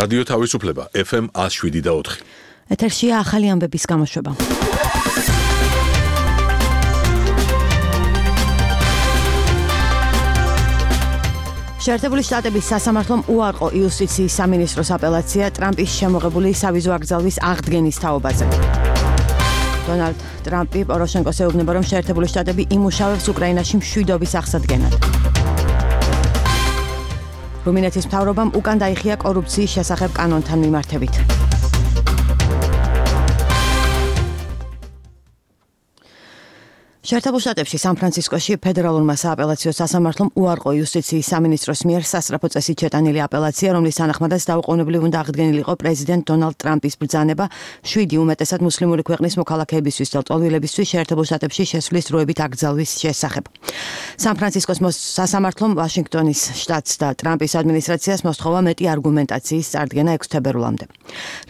რადიო თავისუფლება FM 107.4. ეთერშია ახალი ამბების გამოშვება. შეერთებული შტატების სასამართლომ უარყო იუსტიციის სამინისტროს აპელაცია ტრამპის შემოღებული სავიზო აკრძალვის აღდგენის თაობაზე. დონალდ ტრამპი პოროშენკოს ეუბნება, რომ შეერთებული შტატები იმუშავებს უკრაინაში მშვიდობის აღსადგენად. რუმინეთის მთავრობამ უკან დაიხია კორუფციის შესახებ კანონთან მიმართებით. შეერთებულ შტატებში სან-ფრანცისკოში ფედერალურმა სააპელაციო სასამართლომ უარყო იუსტიციის სამინისტროს მიერ სასწრაფო წესით შეტანილი აპელაცია, რომლის თანახმადაც დაუყოვნებლივ უნდა აღდგენილიყო პრეზიდენტ დონალდ ტრამპის ბრძანება 7 უმეტესად მუსლიმური ქვეყნის მოქალაქეებისთვის და ლტოლვილებისთვის შეერთებულ შტატებში შესვლის დროებით აკრძალვის შესახებ. სან-ფრანცისკოს სასამართლომ ვაშინგტონის შტატს და ტრამპის ადმინისტრაციას მოსთხოვა მეტი არგუმენტაციის წარდგენა 6 თებერვლამდე.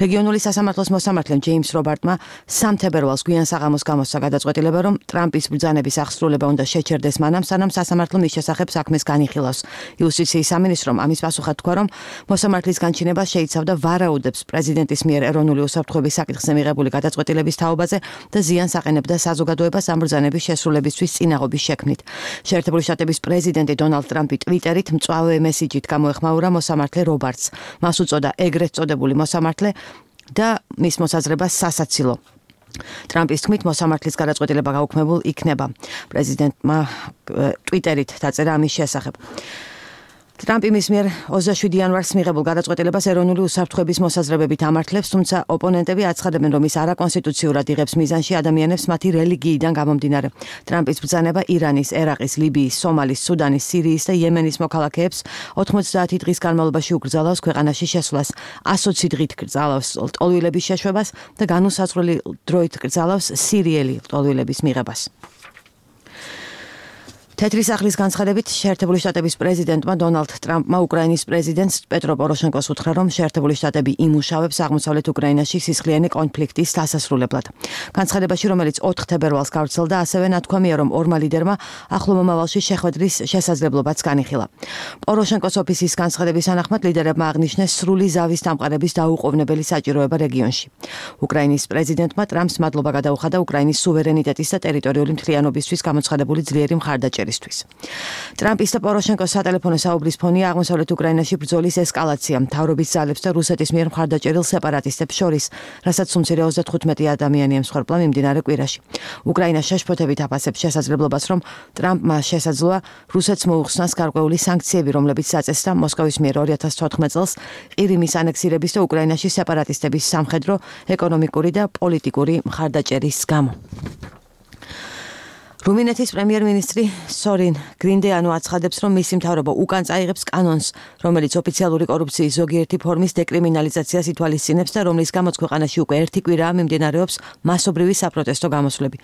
რეგიონული სასამართლოს მოსამართლემ ჯეიმს რობარტმა 3 თებერვალს გვიან საღამოს გამოსცა გადაწყვეტილება, რომ ტრამპის ბრძანების აღსრულება უნდა შეჩერდეს მანამ, სანამ სასამართლო მის შესახებ საქმეს განიხილავს. იუსტიციის სამინისტრომ ამის პასუხად თქვა, რომ მოსამართლის განჩინება შეიცავდა ვარაუდებს პრეზიდენტის მიერ ეროვნული უსაფრთხოების საკითხზე მიღებული გადაწყვეტილების თაობაზე და ზიანს აყენებდა საზოგადოებას ამ ბრძანების შესრულებისთვის წინაღობის შექმნით. შეერთებული შტატების პრეზიდენტი დონალდ ტრამპი ტვიტერით მწვავე მესიჯით გამოეხმაურა მოსამართლე რობარტს. მას უწოდა ეგრეთ წოდებული მოსამართლე და მის მოსაზრებას სასაცილო. ტრამპის თქმით მოსამართლის გადაწყვეტილება გაუქმებულ იქნება. პრეზიდენტმა ტვიტერით დაწერა ამის შესახებ. ტრამპი მის მიერ 27 იანვარს მიღებულ გადაწყვეტილებას ეროვნული უსაფრთხოების მოსაზრებებით ამართლებს, თუმცა ოპონენტები აცხადებენ, რომ ის არაკონსტიტუციურად იღებს მიზანში ადამიანებს მათი რელიგიიდან გამომდინარე. ტრამპის ბრძანება ირანის, ერაყის, ლიბიის, სომალის, სუდანის, სირიის და იემენის მოქალაქეებს 90 დღის განმავლობაში უკრძალავს ქვეყანაში შესვლას, 120 დღით კრძალავს ლტოლვილების შეშვებას და განუსაზღვრელი დროით კრძალავს სირიელი ლტოლვილების მიღებას. თეთრი სახლის განცხადებით შეერთებული შტატების პრეზიდენტმა დონალდ ტრამპმა უკრაინის პრეზიდენტს პეტრო პოროშენკოს უთხრა, რომ შეერთებული შტატები იმუშავებს აღმოსავლეთ უკრაინაში სისხლიანი კონფლიქტის დასასრულებლად. განცხადებაში, რომელიც 4 თებერვალს გავრცელდა, ასევე ნათქვამია, რომ ორმა ლიდერმა ახლო მომავალში შეხვედრის შესაძლებლობაც განიხილა. პოროშენკოს ოფისის განცხადების თანახმად ლიდერებმა აღნიშნეს სრული ზავის დამყარების დაუყოვნებელი საჭიროება რეგიონში. უკრაინის პრეზიდენტმა ტრამპს მადლობა გადაუხადა უკრაინის სუვერენიტეტის და ტერიტორიული მთლიანობისთვის გამოცხადებული ძლიერი მხარდაჭერისთვის. ტრამპის და პოროშენკოს სატელეფონო საუბრის ფონია აღმოსავლეთ უკრაინაში ბრძოლის ესკალაცია, მთავრობის ძალებს და რუსეთის მიერ მხარდაჭერილ სეპარატისტებს შორის, რასაც უმცირე 35 ადამიანი ემსხვერპლა მიმდინარე კვირაში. უკრაინა შეშფოთებით აფასებს შესაძლებლობას, რომ ტრამპმა შესაძლოა რუსეთს მოუხსნას გარკვეული სანქციები, რომლებიც აწესდა მოსკოვის მიერ 2014 წელს ყირიმის ანექსირების და უკრაინაში სეპარატისტების სამხედრო, ეკონომიკური და პოლიტიკური მხარდაჭერის გამო. რუმინეთის პრემიერ-მინისტრი სორინ გრინდეანო აცხადებს, რომ მისი მთავრობა უკან წაიღებს კანონს, რომელიც ოფიციალური კორუფციის ზოგიერთი ფორმის დეკრიმინალიზაციას ითვალისწინებს და რომლის გამოც ქვეყანაში უკვე 1 კვირაა მიმდინარეობს მასობრივი საპროტესტო გამოსვლები.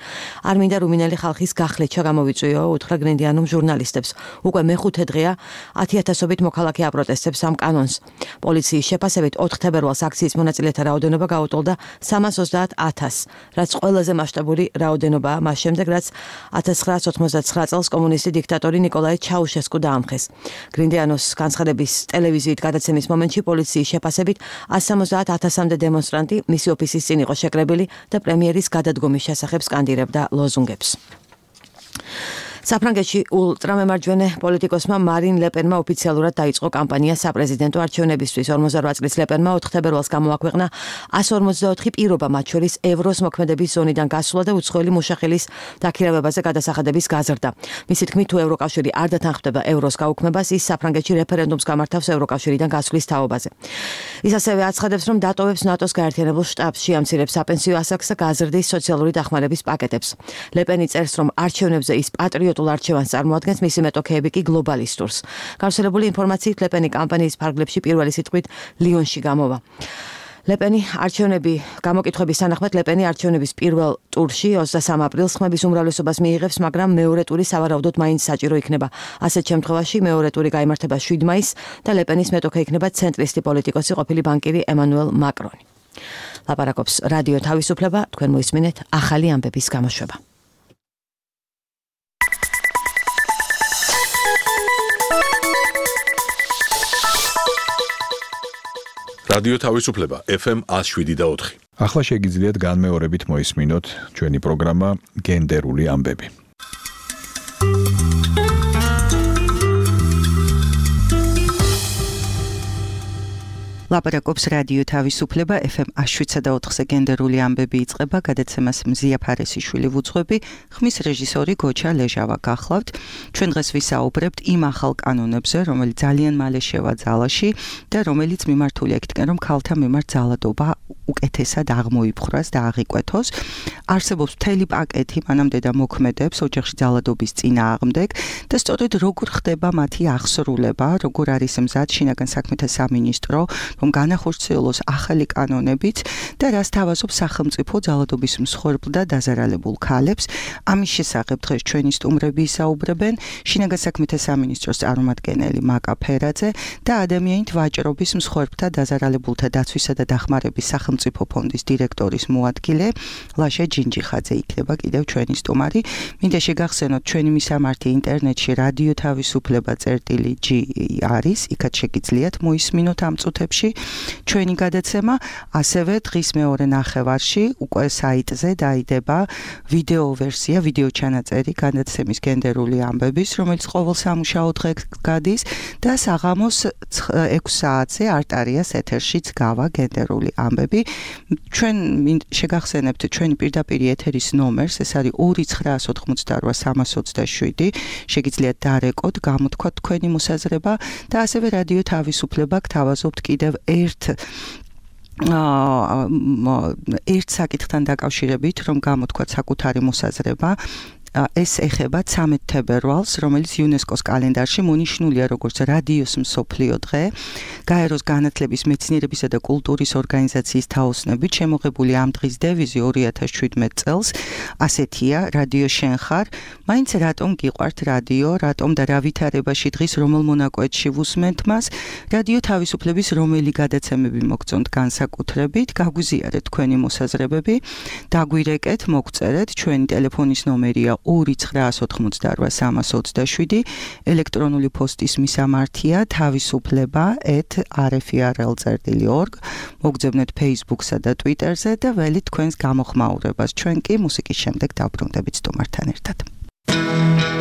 არ მინდა რუმინელი ხალხის გახლეჩა გამოვიწვიო, უთხრა გრინდეანომ ჟურნალისტებს. უკვე მეხუთე დღეა 10,000-ობით მოქალაქე აპროტესტებს ამ კანონს. პოლიციის შეფასებით 4 თებერვალს აქციის მონაწილეთა რაოდენობა გაუტოლდა 330,000, რაც ყველაზე მასშტაბური რაოდენობაა მას შემდეგ, რაც 1989 წელს კომუნისტი დიქტატორი ნიკოლაი ჩაუშესკუ დაამხეს. გრინდეანოს განცხადების ტელევიზიით გადაცემის მომენტში პოლიციის შეფასებით 170,000-მდე დემონსტრანტი მისი ოფისის წინ იყო შეკრებილი და პრემიერის გადადგომის შესახებ სკანდირებდა ლოზუნგებს. საფრანგეთში ულტრამემარჯვენე პოლიტიკოსმა მარინ ლეპენმა ოფიციალურად დაიწყო კამპანია საპრეზიდენტო არჩევნებისთვის. 48 წლის ლეპენმა 4 თებერვალს გამოაქვეყნა 154 პირობა, მათ შორის ევროს მოქმედების ზონიდან გასვლა და უცხოელი მუშახელის დაქირავებაზე გადასახადების გაზრდა. მისი თქმით, თუ ევროკავშირი არ დათანხმდება ევროს გაუქმებას, ის საფრანგეთში რეფერენდუმს გამართავს ევროკავშირიდან გასვლის თაობაზე. ის ასევე აცხადებს, რომ დატოვებს ნატოს გაერთიანებულ შტაბს, შეამცირებს საპენსიო ასაკს და გაზრდის სოციალური დახმარების პაკეტებს. ლეპენი წერს, რომ არჩევნებზე ის პატრიოტულ არჩევანს წარმოადგენს, მისი მეტოქეები კი გლობალისტურს. გავრცელებული ინფორმაციით ლეპენი კამპანიის ფარგლებში პირველი სიტყვით ლიონში გამოვა. ლეპენი არჩევნები გამოკითხვების თანახმად ლეპენი არჩევნების პირველ ტურში 23 აპრილს ხმების უმრავლესობას მიიღებს, მაგრამ მეორე ტური სავარაუდოდ მაინც საჭირო იქნება. ასეთ შემთხვევაში მეორე ტური გაიმართება 7 მაისს და ლეპენის მეტოქე იქნება ცენტრისტი პოლიტიკოსი ყოფილი ბანკირი ემანუელ მაკრონი. ლაპარაკობს რადიო თავისუფლება, თქვენ მოისმინეთ ახალი ამბების გამოშვება. რადიო თავისუფლება FM 107.4. ახლა შეგიძლიათ განმეორებით მოისმინოთ ჩვენი პროგრამა გენდერული ამბები. ლაპარაკობს რადიო თავისუფლება FM 107.4-ზე გენდერული ამბები იწყება, გადაცემას მზია ფარესიშვილი ვუძღვები, ხმის რეჟისორი გოჩა ლეჟავა გახლავთ. ჩვენ დღეს ვისაუბრებთ იმ ახალ კანონებზე, რომელიც ძალიან მალე შევა ძალაში და რომელიც მიმართულია იქითკენ, რომ ქალთა მიმართ ძალადობა უკეთესად აღმოიფხვრას და აღიკვეთოს. არსებობს მთელი პაკეტი მანამდე და მოქმედებს ოჯახში ძალადობის წინააღმდეგ და სწორედ როგორ ხდება მათი აღსრულება, როგორ არის მზად შინაგან საქმეთა სამინისტრო, რომ განახორციელოს ახალი კანონებით და რას თავაზობს სახელმწიფო ძალადობის მსხვერპლ და დაზარალებულ ქალებს. ამის შესახებ დღეს ჩვენი სტუმრები ისაუბრებენ შინაგან საქმეთა სამინისტროს წარმომადგენელი მაკა ფერაძე და ადამიანით ვაჭრობის მსხვერპლთა დაზარალებულთა დაცვისა და დახმარების სახელმწიფო ფონდის დირექტორის მოადგილე ლაშა ჯინჯიხაძე იქნება კიდევ ჩვენი სტუმარი. მინდა შეგახსენოთ ჩვენი მისამართი ინტერნეტში რადიო თავისუფლება.g არის, იქაც შეგიძლიათ მოისმინოთ ამ წუთებში ჩვენი გადაცემა, ასევე დღის მეორე ნახევარში უკვე საიტზე დაიდება ვიდეო ვერსია, ვიდეო ჩანაწერი გადაცემის გენდერული ამბების, რომელიც ყოველ სამუშაო დღეს გადის და საღამოს 6 საათზე არტარიას ეთერშიც გავა გენდერული ამბები. ჩვენ შეგახსენებთ ჩვენი პირდაპირ ეთერის ნომერს, ეს არის 2988327. შეგიძლიათ დარეკოთ, გამოთქვათ თქვენი მოსაზრება და ასევე რადიო თავისუფლება გთავაზობთ კიდევ ერთ საკითხთან დაკავშირებით, რომ გამოთქვათ საკუთარი მოსაზრება. ეს ეხება 13 თებერვალს, რომელიც იუნესკოს კალენდარში მონიშნულია როგორც რადიოს მსოფლიო დღე. გაეროს განათლების, მეცნიერებისა და კულტურის ორგანიზაციის თაოსნობით შემოღებული ამ დღის დევიზი 2017 წელს ასეთია: რადიო შენ ხარ, მაინც რატომ გიყვართ რადიო, რატომ და რა ვითარებაში დღის რომელ მონაკვეთში ვუსმენთ მას, რადიო თავისუფლების რომელი გადაცემები მოგწონთ განსაკუთრებით, გაგვიზიარეთ თქვენი მოსაზრებები, დაგვირეკეთ, მოგწერეთ, ჩვენი ტელეფონის ნომერია 2988327, ელექტრონული პოსტის მისამართია თავისუფლება@rfrl.org, მოგძებნეთ Facebook-სა და Twitter-ზე და ველით თქვენს გამოხმაურებას. ჩვენ კი მუსიკის შემდეგ დავბრუნდებით სტუმართან ერთად. Going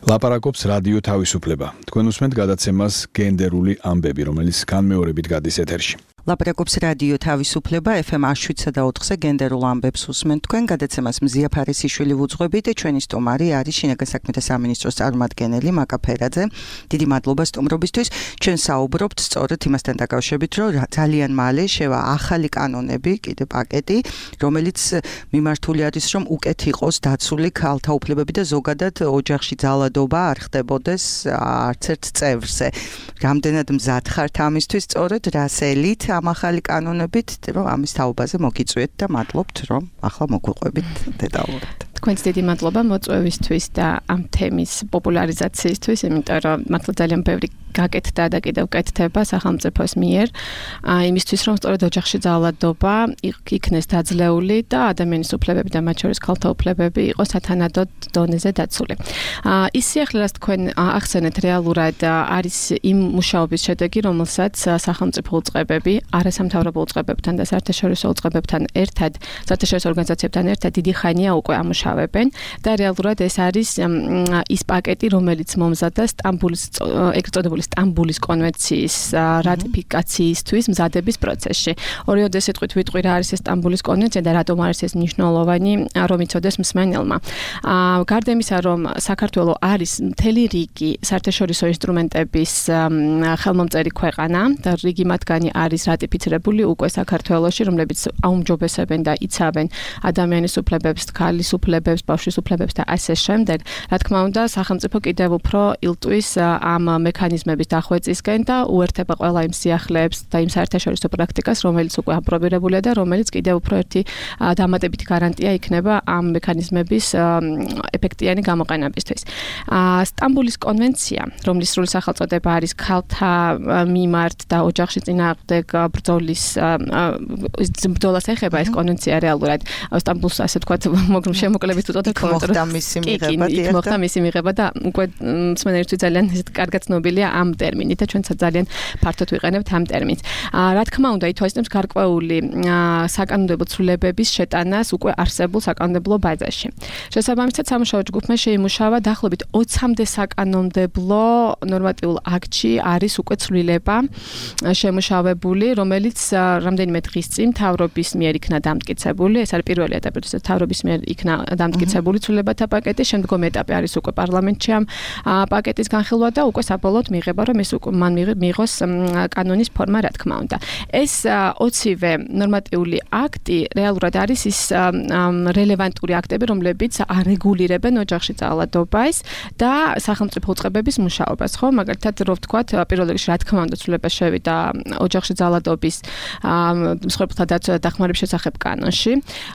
ლაპარაკობს რადიო თავისუფლება. თქვენ უსმენთ გადაცემას გენდერული ამბები, რომელიც განმეორებით გადის ეთერში. ლაპარაკობს რადიო თავისუფლება FM 107.4-ზე გენდერულ ამბებს უსმენთ თქვენ გადაცემას მზია ფარესიშვილი ვუძღვებით ჩვენი სტუმარი არის შინაგან საქმეთა სამინისტროს წარმომადგენელი მაკა ფერაძე. დიდი მადლობა სტუმრობისთვის. ჩვენ საუბრობთ სწორედ იმასთან დაკავშირებით, რომ ძალიან მალე შევა ახალი კანონები, კიდე პაკეტი, რომელიც მიმართული არის, რომ უკეთ იყოს დაცული ქალთა უფლებები და ზოგადად ოჯახში ძალადობა არ ხდებოდეს არც ერთ წევრზე. რამდენად მზად ხართ ამისთვის სწორედ რასელით ამ ახალი კანონებით, რომ ამის თაობაზე მოგიწვიეთ და მადლობთ, რომ ახლა მოგვიყვებით დეტალურად. თქვენს დიდი მადლობა მოწვევისთვის და ამ თემის პოპულარიზაციისთვის, იმიტომ რომ მართლა ძალიან ბევრი გაკეთდა და კიდევ კეთდება სახელმწიფოს მიერ, იმისთვის რომ სწორედ ოჯახში ძალადობა იქნეს დაძლეული და ადამიანის უფლებები და მათ შორის ქალთა უფლებები იყოს სათანადოდ დონეზე დაცული. ის სიახლე, რაც თქვენ ახსენეთ, რეალურად არის იმ მუშაობის შედეგი, რომელსაც სახელმწიფო უწყებები, არასამთავრობო უწყებებთან და საერთაშორისო უწყებებთან ერთად, საერთაშორისო ორგანიზაციებთან ერთად დიდი ხანია უკვე ამუშავებენ და რეალურად ეს არის ის პაკეტი, რომელიც მომზადდა ეგრეთ წოდებული სტამბულის კონვენციის რატიფიკაციისთვის მზადების პროცესში. ორივე სიტყვით ვიტყვი რა არის ეს სტამბულის კონვენცია და რატომ არის ეს მნიშვნელოვანი, რომ იცოდეს მსმენელმა. გარდა იმისა, რომ საქართველოს არის მთელი რიგი საერთაშორისო ინსტრუმენტების ხელმომწერი ქვეყანა და რიგი მათგანი არის რატიფიცირებული უკვე საქართველოში, რომლებიც აუმჯობესებენ და იცავენ ადამიანის უფლებებს, ქალის უფლებებს, ბავშვის უფლებებს და ასე შემდეგ. რა თქმა უნდა, სახელმწიფო კიდევ უფრო ილტვის ამ მექანიზმების დახვეწისკენ და უერთება ყველა იმ სიახლეებს და იმ საერთაშორისო პრაქტიკას, რომელიც უკვე აპრობირებულია და რომელიც კიდევ უფრო ერთი დამატებითი გარანტია იქნება ამ მექანიზმების ეფექტიანი გამოყენებისთვის. სტამბულის კონვენცია, რომლის სრული სახელწოდება არის ქალთა მიმართ და ოჯახში წინააღმდეგ ბრძოლას ეხება ეს კონვენცია რეალურად სტამბულს ასე თქვა შემოკლებით უწოდებ მოხდა მისი მიღება და უკვე მსმენელისთვის ძალიან კარგად ცნობილია ამ ტერმინით და ჩვენც ძალიან ფართოდ ვიყენებთ ამ ტერმინს. რა თქმა უნდა, ითვალისწინებს გარკვეული საკანონმდებლო ცვლილებების შეტანას უკვე არსებულ საკანონმდებლო ბაზაში. შესაბამისად, სამუშაო ჯგუფმა შეიმუშავა დაახლოებით 20-მდე საკანონმდებლო ნორმატიულ აქტში არის უკვე ცვლილება შემუშავებული, რომელიც რამდენიმე დღის წინ მთავრობის მიერ იქნა დამტკიცებული. ეს არის პირველი ეტაპი, როდესაც მთავრობის მიერ იქნა დამტკიცებული ცვლილებათა პაკეტი, შემდგომი ეტაპი არის უკვე პარლამენტში ამ პაკეტის განხილვა და უკვე საბოლოოდ მიიღება, რომ ეს უკვე მან მიიღოს კანონის ფორმა, რა თქმა უნდა. ეს 20-ვე ნორმატიული აქტი რეალურად არის ის რელევანტური აქტები, რომლებიც არეგულირებენ ოჯახში ძალადობას და სახელმწიფო უწყებების მუშაობას, ხო? მაგალითად, რო ვთქვათ, პირველ რიგში რა თქმა უნდა ცვლილება შევიდა ოჯახში ძალადობის მსხვერპლთა დაცვა და დახმარების შესახებ კანონში,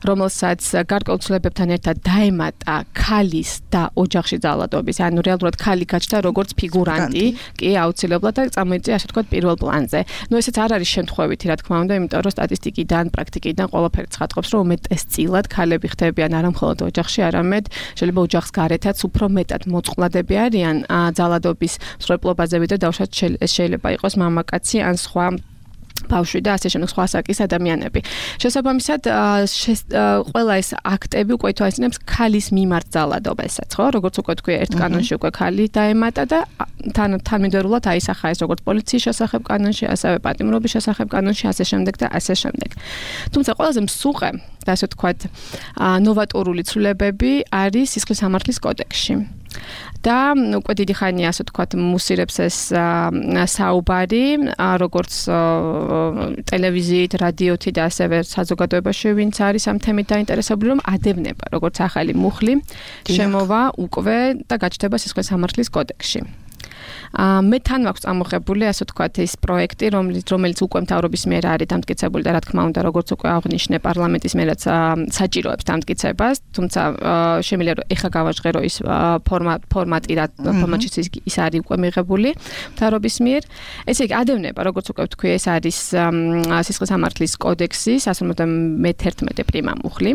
რომელსაც გარკვეულ ცვლილებებთან ერთად დაემატა ქალის და ოჯახში ძალადობის, ანუ რეალურად ქალი გაჩნდა როგორც ფიგურანტი, კი აუცილებლად და წამოიწია ასე ვთქვათ პირველ პლანზე. ნუ ესეც არ არის შემთხვევითი, რა თქმა უნდა, იმიტომ რომ სტატისტიკიდან, პრაქტიკიდან ყველაფერი ცხადყოფს, რომ უმეტესწილად ქალები ხდებიან არა მხოლოდ ოჯახში, არამედ შეიძლება ოჯახს გარეთაც უფრო მეტად მოწყვლადები არიან ძალადობის მსხვერპლობაზე, ვიდრე დავუშვათ შეიძლება იყოს მამაკაცი ან სხვა ბავშვი და ასე შემდეგ სხვა საკის ადამიანები. შესაბამისად, ყველა ეს აქტები უკვე ითვალისწინებს ქალის მიმართ ძალადობასაც, ხო? როგორც უკვე თქვი, ერთ კანონში უკვე ქალი დაემატა და თანმიმდევრულად აისახა ეს როგორც პოლიციის შესახებ კანონში, ასევე პატიმრობის შესახებ კანონში, ასე შემდეგ და ასე შემდეგ. თუმცა ყველაზე მსუყე და ასე ვთქვათ, ნოვატორული ცვლილებები არის სისხლის სამართლის კოდექსში. და უკვე დიდი ხანია ასე ვთქვათ მუსირებს ეს საუბარი როგორც ტელევიზიით, რადიოთი და ასევე საზოგადოებაში ვინც არის ამ თემით დაინტერესებული, რომ ადევნება როგორც ახალი მუხლი შემოვა უკვე და გაჩნდება სისხლის სამართლის კოდექსში. მე თან მაქვს წამოღებული ასე ვთქვათ ეს პროექტი, რომელიც უკვე მთავრობის მიერ არის დამტკიცებული და რა თქმა უნდა როგორც უკვე აღნიშნე პარლამენტის მიერაც საჭიროებს დამტკიცებას, თუმცა შემიძლია რომ ეხა გავაჟღერო ის ფორმატი და ფორმატში ის არის უკვე მიღებული მთავრობის მიერ. ესე იგი ადევნება როგორც უკვე ვთქვი ეს არის სისხლის სამართლის კოდექსის 151 პრიმა მუხლი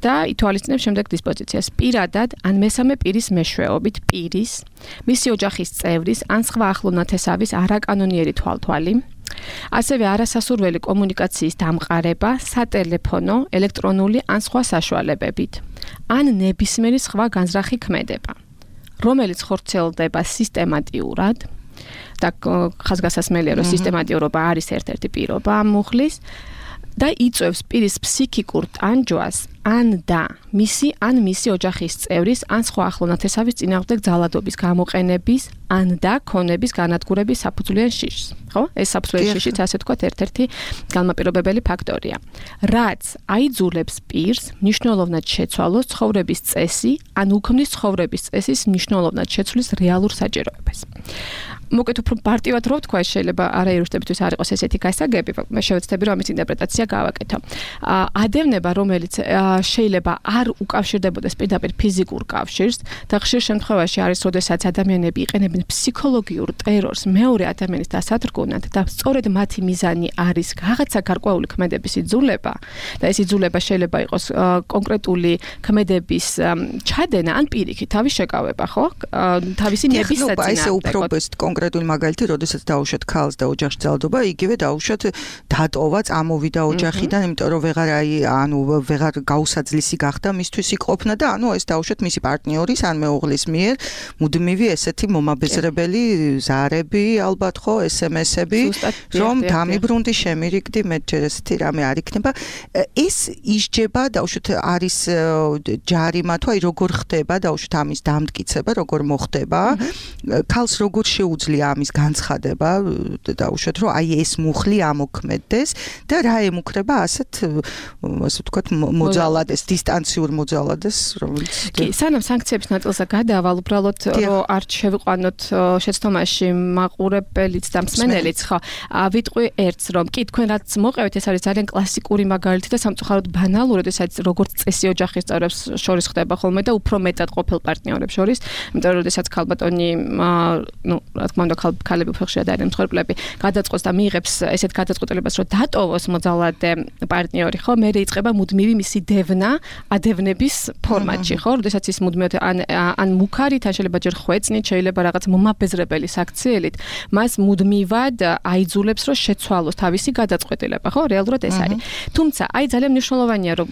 და ითვალისწინებს შემდეგ დისპოზიციას პირადად ან მესამე პირის მეშვეობით პირის მისი ოჯახის წევრის ან სხვა ახლო ნათესავის არაკანონიერი თვალთვალი, ასევე არასასურველი კომუნიკაციის დამყარება სატელეფონო, ელექტრონული ან სხვა საშუალებებით, ან ნებისმიერი სხვა განზრახი ქმედება. რომელიც ხორციელდება სისტემატიურად და ხაზგასასმელია, რომ სისტემატიურობა არის ერთ-ერთი პირობა ამ მუხლის და იწვევს პირის ფსიქიკურ ტანჯვას ან მისი ოჯახის წევრის ან სხვა ახლო ნათესავის წინააღმდეგ ძალადობის გამოყენების ან და ქონების განადგურების საფუძვლიან შიშს. ხო? ეს საფუძვლიანი შიშიც ასე თქვათ ერთ-ერთი განმაპირობებელი ფაქტორია. რაც აიძულებს პირს მნიშვნელოვნად შეცვალოს ცხოვრების წესი ან უქმნის ცხოვრების წესის მნიშვნელოვნად შეცვლის რეალურ საჭიროებას. მოკეთ უფრო პარტივად რო ვთქვა, შეიძლება არაერუსტებისთვის არ იყოს ესეთი გასაგები, მე შევეცდები რომ ამის ინტერპრეტაცია გავაკეთო. ადევნება, რომელიც შეიძლება არ უკავშირდებოდეს პირდაპირ ფიზიკურ კავშირს და ხშირ შემთხვევაში არის, როდესაც ადამიანები იყენებენ ფსიქოლოგიურ ტერორს მეორე ადამიანის დასათრგუნად და სწორედ მათი მიზანი არის რაღაცა გარკვეული ქმედების იძულება და ეს იძულება შეიძლება იყოს კონკრეტული ქმედების ჩადენა ან პირიქით თავის შეკავება, ხო? თავისი ნების საწინააღმდეგოდ. კონკრეტული მაგალითი, როდესაც დაუშვათ ქალს და ოჯახში ძალადობა, იგივე დაუშვათ დატოვა, წამოვიდა ოჯახიდან, იმიტომ რომ ვეღარ გაუსაძლისი გახდა მისთვის იყოფნა და ეს დაუშვათ მისი პარტნიორის ან მეუღლის მიერ მუდმივი ესეთი მომაბეზრებელი ზარები, ალბათ ხო, SMS-ები, რომ დამიბრუნდი, შემირიგდი, მე ჯერ ესეთი რამე არ იქნება. ეს ისჯება, დაუშვათ არის ჯარიმა თუ როგორ ხდება, დაუშვათ ამის დამტკიცება, როგორ მოხდება, ქალს როგორ შეუძლია ამის განცხადება, დაუშვათ რომ ეს მუხლი ამოქმედდეს და რა ემუქრება ასეთ ვთქვათ მოძალადეს, დისტანციურ მოძალადეს, რომელიც კი, სანამ სანქციების ნაწილზე გადავალ, უბრალოდ რომ არ შევიყვანოთ შეცდომაში მაყურებელიც და მსმენელიც, ხო, ვიტყვი ერთს, რომ კი თქვენ რაც მოყევით, ეს არის ძალიან კლასიკური მაგალითი და სამწუხაროდ ბანალური, როდესაც როგორც წესი ოჯახის წევრებს შორის ხდება ხოლმე და უფრო მეტად ყოფილ პარტნიორებს შორის, იმიტომ რომ როდესაც ქალბატონი, რა თქმა უნდა, ქალები უფრო ხშირად არიან მსხვერპლები, გადაწყვეტს და მიიღებს ესეთ გადაწყვეტილებას, რომ დატოვოს მოძალადე პარტნიორი, ხო, მე იწყება მუდმივი მისი დევნა, ადევნების ფორმატში, ხო, როდესაც ის მუდმივად ან მუქარით, ან შეიძლება ჯერ ხვეწნით, შეიძლება რაღაც მომაბეზრებელი საქციელით, მას მუდმივად აიძულებს, რომ შეცვალოს თავისი გადაწყვეტილება, ხო, რეალურად ეს არის. თუმცა, ძალიან მნიშვნელოვანია, რომ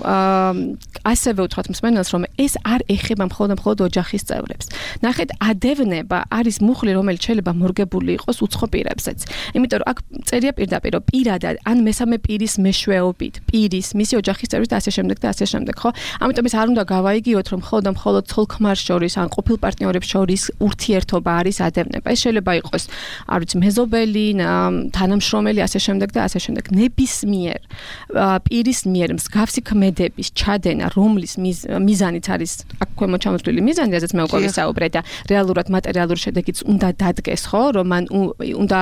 ასევე უთხრათ მსმენელს, რომ ეს არ ეხება მხოლოდ ოჯახის წევრებს. ნახეთ, ადევნება არის მუხლი, რომელიც შეიძლება მორგებული იყოს უცხო პირებსაც. იმიტომ რომ აქ წერია პირდაპირ, რომ პირადად ან მესამე პირის მეშვეობით, პირის, მისი ოჯახის წევრის და ასე შემდეგ და ასე შემდეგ, ხო? ამიტომ ეს არ უნდა გავაიგიოთ, რომ მხოლოდ ცოლ-ქმარს შორის ან ყოფილ პარტნიორებს შორის ურთიერთობა არის ადევნება. ეს შეიძლება იყოს, არ ვიცი, მეზობელი, თანამშრომელი, ასე შემდეგ და ასე შემდეგ. ნებისმიერ პირის მიერ მსგავსი ქმედების ჩადენა, რომლის მიზანიც არის აქ ქვემოჩამოთვლილი მიზანი, რაზეც მე უკვე ვისაუბრე და რეალურად მატერიალური შედეგიც უნდა დადგეს, ხო, რომ მან უნდა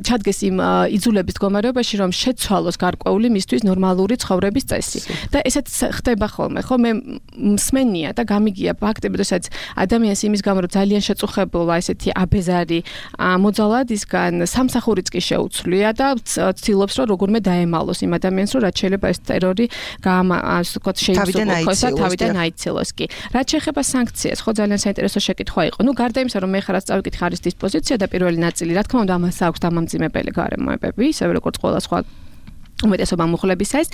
ჩადგეს იმ იძულების მდგომარეობაში, რომ შეცვალოს გარკვეული მისთვის ნორმალური ცხოვრების წესი. და ესეც ხდება ხოლმე, ხო, მე მსმენია და გამიგია ფაქტები, როდესაც ადამიანს იმის გამო რომ ძალიან შეწუხებულა ესეთი აბეზარი მოძალადისგან სამსახურიც კი შეუცვლია და ცდილობს რომ როგორმე დაემალოს იმ ადამიანს, რომ რაც შეიძლება ეს ტერორი ასე ვთქვათ შეიცვალოს და თავიდან აიცილოს კი. რაც შეეხება სანქციას, ხო, ძალიან საინტერესო შეკითხვა იყო. გარდა იმისა, რომ მე ხარაც წავიკითხე არის დისპოზიცია და პირველი ნაწილი, რა თქმა უნდა, ამას აქვს დამამძიმებელი გარემოებები, ისევე როგორც ყველა სხვა უმეტესობა მუხლებისას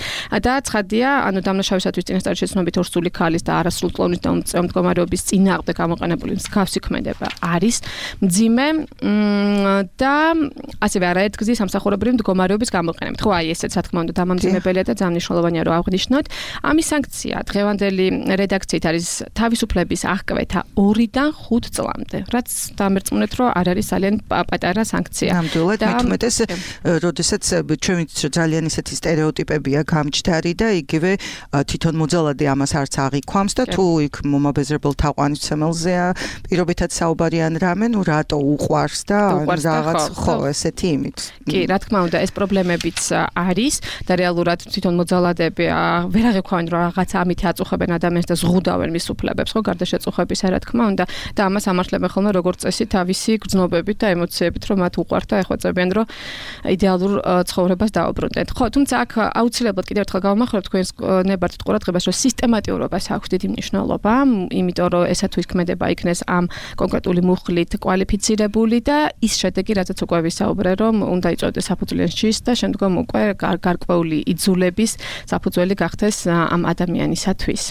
და ცხადია, დამნაშავისათვის წინასწარი შეცნობით ორსული ქალის და არასრულწლოვნის და უმწევ მდგომარეობის წინააღმდეგ გამოყენებული მსგავსი ქმედება არის მძიმე და ასევე არაერთგზის სამსახურებრივი მდგომარეობის გამოყენებით. ხო, აი ესეც რა თქმა უნდა დამამძიმებელია და ძალიან მნიშვნელოვანია რომ ავღნიშნოთ. ამის სანქცია დღევანდელი რედაქციით არის თავისუფლების აღკვეთა 2-დან 5 წლამდე, რაც დამერწმუნეთ რომ არ არის ძალიან პატარა სანქცია. ნამდვილად, მithumetes, როდესაც ჩვენ ძალიან ესეთი სტერეოტიპებია გამჭდარი და იგივე თვითონ მოძალადე ამას არც აღიქვამს და თუ იქ მომაბეზრებელ თაყვანისმცემელზეა პირობითად საუბარიან რამე, რატო უყვარს და რაღაც ხო ესეთი იმით. კი, რა თქმა უნდა, ეს პრობლემებიც არის და რეალურად თვითონ მოძალადები ვერ აღიქვამენ რომ რაღაც ამით აწუხებენ ადამიანს და ზღუდავენ მის უფლებებს, ხო, გარდა შეწუხებისა, რა თქმა უნდა, და ამას ამართლებენ ხოლმე როგორც წესი თავისი გრძნობებით და ემოციებით, რომ მათ უყვართ და ეხვეწებიან რომ იდეალურ ცხოვრებას დაუბრუნდეთ. ხო, ხო, თუმცა აქ აუცილებლად კიდევ ერთხელ გავამახვილებ თქვენს ნებართვით ყურადღებას, რომ სისტემატიურობას აქვს დიდი მნიშვნელობა, იმიტომ რომ ესა თუ იქმედება იქნეს ამ კონკრეტული მუხლით კვალიფიცირებული და ის შედეგი, რაზეც უკვე ვისაუბრე, რომ უნდა იწოდოს საფუძვლიან შის და შემდგომ უკვე გარკვეული იძულების საფუძველი გახდეს ამ ადამიანისათვის.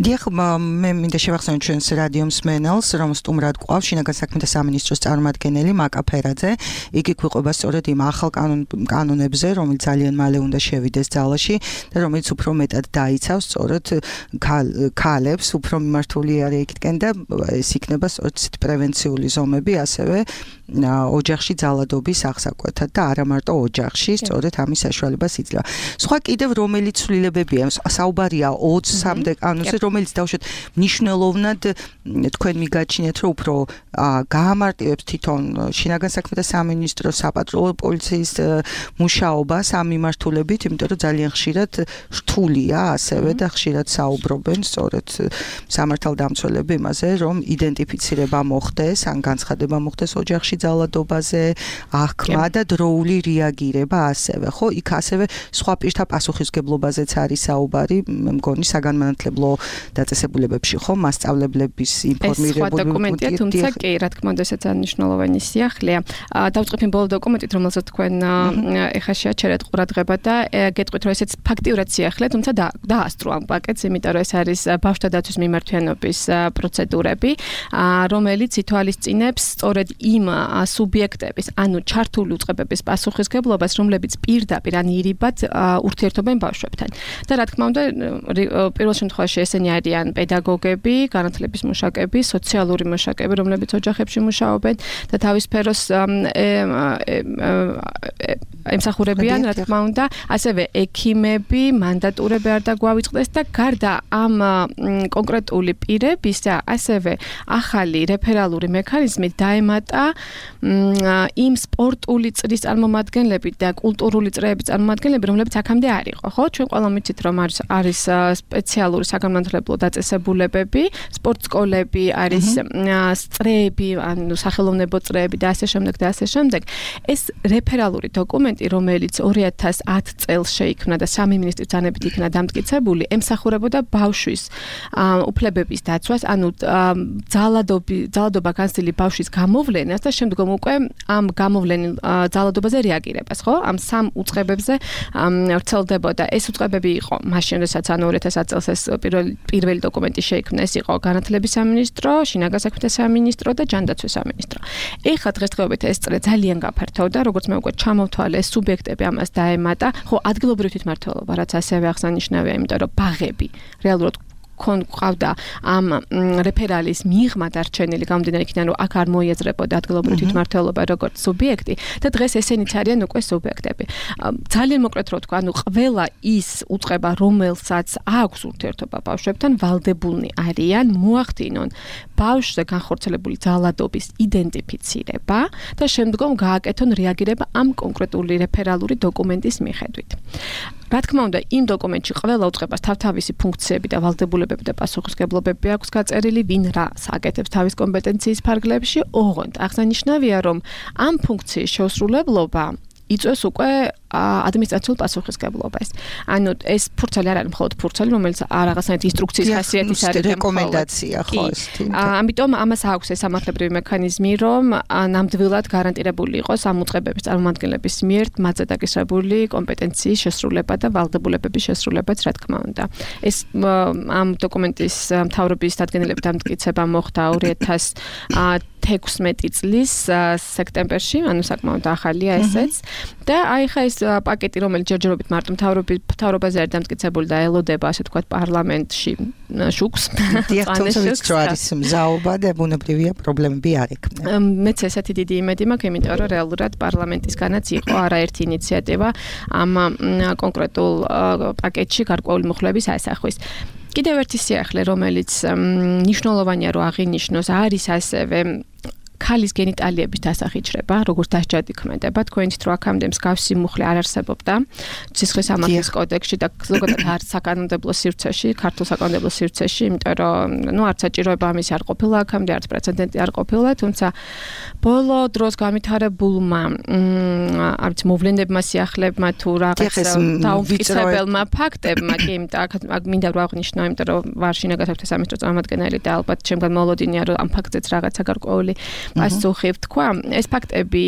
დიახ, მე მინდა შევახსენო ჩვენს რადიო მსმენელს, რომ სტუმრად გვყავს შინაგან საქმეთა სამინისტროს წარმომადგენელი მაკა ფერაძე. იგი გვიყვება სწორედ იმ ახალ კანონებზე, რომელიც ძალიან მალე უნდა შევიდეს ძალაში და რომელიც უფრო მეტად დაიცავს სწორედ ქალებს, უფრო მიმართული არის იქითკენ და ეს იქნება სწორედ პრევენციული ზომები, ასევე ოჯახში ძალადობის აღსაკვეთად და არა მარტო ოჯახში, სწორედ ამის საშუალებას იძლევა. სხვა კიდევ რომელი ცვლილებებია? საუბარია 23-მდე კანონზე, რომელიც დავუშვათ მნიშვნელოვნად თქვენ მიგაჩნიათ, რომ უფრო გაამარტივებს თვითონ შინაგან საქმეთა სამინისტროს საპატრულო პოლიციის მუშაობას ამ მიმართულებით, იმიტომ რომ ძალიან ხშირად რთულია ასევე და ხშირად საუბრობენ სწორედ სამართალდამცველები იმაზე, რომ იდენტიფიცირება მოხდეს, ან განცხადება მოხდეს ოჯახში ძალადობაზე, აღქმა და დროული რეაგირება ასევე, ხო? იქ ასევე სხვა პირთა პასუხისმგებლობაზეც არის საუბარი, მე მგონი საგანმანათლებლო დაწესებულებებში, ხო? მასწავლებლების ინფორმირებული. ეს სხვა დოკუმენტია, თუმცა კი, რა თქმა უნდა, ესეც მნიშვნელოვანი სიახლეა. დავწყებთ იმ ბოლო დოკუმენტით, რომელსაც თქვენ ეხლა შეაჩერეთ ყურადღება და გეტყვით, რომ ესეც ფაქტიურად სიახლეა, თუმცა დაასწრო ამ პაკეტს, იმიტომ რომ ეს არის ბავშვთა დაცვის მიმართვიანობის პროცედურები, რომელიც ითვალისწინებს სწორედ იმ სუბიექტების, ანუ ჩართული უწყებების პასუხისმგებლობას, რომლებიც პირდაპირ ან ირიბად ურთიერთობენ ბავშვებთან. და რა თქმა უნდა, პირველ შემთხვევაში ესენი არიან პედაგოგები, განათლების მუშაკები, სოციალური მუშაკები, რომლებიც ოჯახებში მუშაობენ და თავის სფეროს ემსახურებიან, რა თქმა უნდა, ასევე ექიმები, მანდატურები არ დაგვავიწყდეს და გარდა ამ კონკრეტული პირებისა, ასევე ახალი რეფერალური მექანიზმით დაემატა იმ სპორტული წრის წარმომადგენლები და კულტურული წრეების წარმომადგენლები, რომლებიც აქამდე არ იყო, ხო? ჩვენ ყველამ ვიცით, რომ არის სპეციალური საგანმანათლებლო დაწესებულებები, სპორტსკოლები, არის წრეები, ანუ სახელოვნებო წრეები და ასე შემდეგ და ასე შემდეგ. ეს რეფერალური დოკუმენტი, რომელიც 2010 წელს შეიქმნა და სამი მინისტრის ბრძანებით იქნა დამტკიცებული, ემსახურებოდა ბავშვის უფლებების დაცვას, ანუ ძალადობა განცდილი ბავშვის გამოვლენას და შემდგომ უკვე ამ გამოვლენილ ძალადობაზე რეაგირებას, ხო? ამ სამ უწყებებზე ვრცელდებოდა. ეს უწყებები იყო მაშინ, როდესაც ანუ 2010 წელს ეს პირველი დოკუმენტი შეიქმნა, ეს იყო განათლების სამინისტრო, შინაგან საქმეთა სამინისტრო და ჯანდაცვის სამინისტრო. ეხლა დღესდღეობით ეს წრე ძალიან გაფართოვდა, როგორც მე უკვე ჩამოვთვალე, ეს სუბიექტები ამას დაემატა, ხო, ადგილობრივი თვითმმართველობა, რაც ასევე აღსანიშნავია, იმიტომ რომ ბაღები რეალურად ყავდა ამ რეფერალის მიღმა დარჩენილი გამომდინარე იქიდან, რომ აქ არ მოიაზრებოდა ადგილობრივი თვითმმართველობა როგორც სუბიექტი და დღეს ესენიც არიან უკვე სუბიექტები. ძალიან მოკლედ რო ვთქვა, ანუ ყველა ის უწყება, რომელსაც აქვს ურთიერთობა ბავშვებთან, ვალდებულნი არიან მოახდინონ ბავშვზე განხორციელებული ძალადობის იდენტიფიცირება და შემდგომ გააკეთონ რეაგირება ამ კონკრეტული რეფერალური დოკუმენტის მიხედვით. რა თქმა უნდა, იმ დოკუმენტში ყველა უწყებას თავთავისი ფუნქციები და ვალდებულებები და პასუხისმგებლობები აქვს გაწერილი, ვინ რას აკეთებს თავის კომპეტენციის ფარგლებში, ოღონდ აღსანიშნავია, რომ ამ ფუნქციის შესრულებლობა იწვევს უკვე ადმინისტრაციულ პასუხისმგებლობას. ანუ ეს ფურცელი არ არის მხოლოდ ფურცელი, რომელიც რაღაცნაირად ინსტრუქციის ხასიათის არის რეკომენდაცია, ხო ეს. ამიტომ ამას აქვს ეს სამართლებრივი მექანიზმი, რომ ნამდვილად გარანტირებული იყოს ამ უწყებების წარმომადგენლების მიერ მათზე დაკისრებული კომპეტენციის შესრულება და ვალდებულებების შესრულებაც, რა თქმა უნდა. ეს ამ დოკუმენტის მთავრობის დადგენილებით დამტკიცება მოხდა 2016 წლის სექტემბერში, ანუ საკმაოდ ახალია ესეც. და აი ხა ეს პაკეტი, რომელიც ჯერჯერობით მარტო მთავრობაზე არის დამტკიცებული და ელოდება, ასე ვთქვათ, პარლამენტში შუქს. დიახ, არის მზაობა და ბუნებრივია პრობლემები არ ექნება. მეც ესეთი დიდი იმედი მაქვს, იმიტომ რომ რეალურად პარლამენტისგანაც იყო არაერთი ინიციატივა ამ კონკრეტულ პაკეტში გარკვეული მუხლების ასახვის. კიდევ ერთი სიახლე, რომელიც მნიშვნელოვანია რომ აღინიშნოს, არის ასევე ქალის გენიტალიების დასახიჩრება, როგორც დასჯადი ქმედება, თქვენით რომ აქამდე მსგავსი მუხლი არ არსებობდა სისხლის სამართლის კოდექსში და ზოგადად არც საკანონმდებლო სივრცეში, ქართულ საკანონმდებლო სივრცეში, იმიტომ რომ არც საჭიროება ამისი არ ყოფილა აქამდე, არც პრეცედენტი არ ყოფილა, თუმცა ბოლო დროს განვითარებულმა არც მოვლენებმა, სიახლებმა თუ რაღაც დაუმტკიცებელმა ფაქტებმა, კი, აქ მინდა რომ აღვნიშნო, იმიტომ რომ ვარ შინაგან საქმეთა სამინისტროს წარმომადგენელი და ალბათ ჩემგან მოლოდინია რომ ამ ფაქტზეც რაღაცა გარკვეული პასუხი ვთქვა. ეს ფაქტები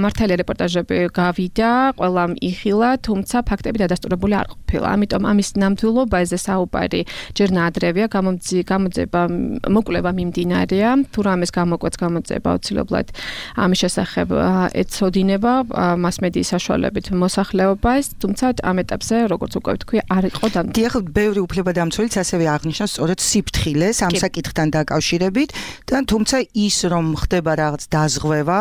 მართალია რეპორტაჟები გავიდა, ყველამ იხილა, თუმცა ფაქტები დადასტურებული არ ყოფილა. ამიტომ ამის ნამდვილობაზე საუბარი ჯერ ნაადრევია, გამოძება, მოკვლევა მიმდინარეა, თუ რამეს გამოკვეთს გამოძება აუცილებლად ამის შესახებ ეცოდინება მასმედიის საშუალებით მოსახლეობას, თუმცა ამ ეტაპზე, როგორც უკვე ვთქვი, არ იყო დამტკიცებული. დიახ, ბევრი უფლებადამცველიც ასევე აღნიშნავს სწორედ სიფრთხილეს ამ საკითხთან დაკავშირებით და თუმცა ის რომ ხდება რაღაც დაზღვევა,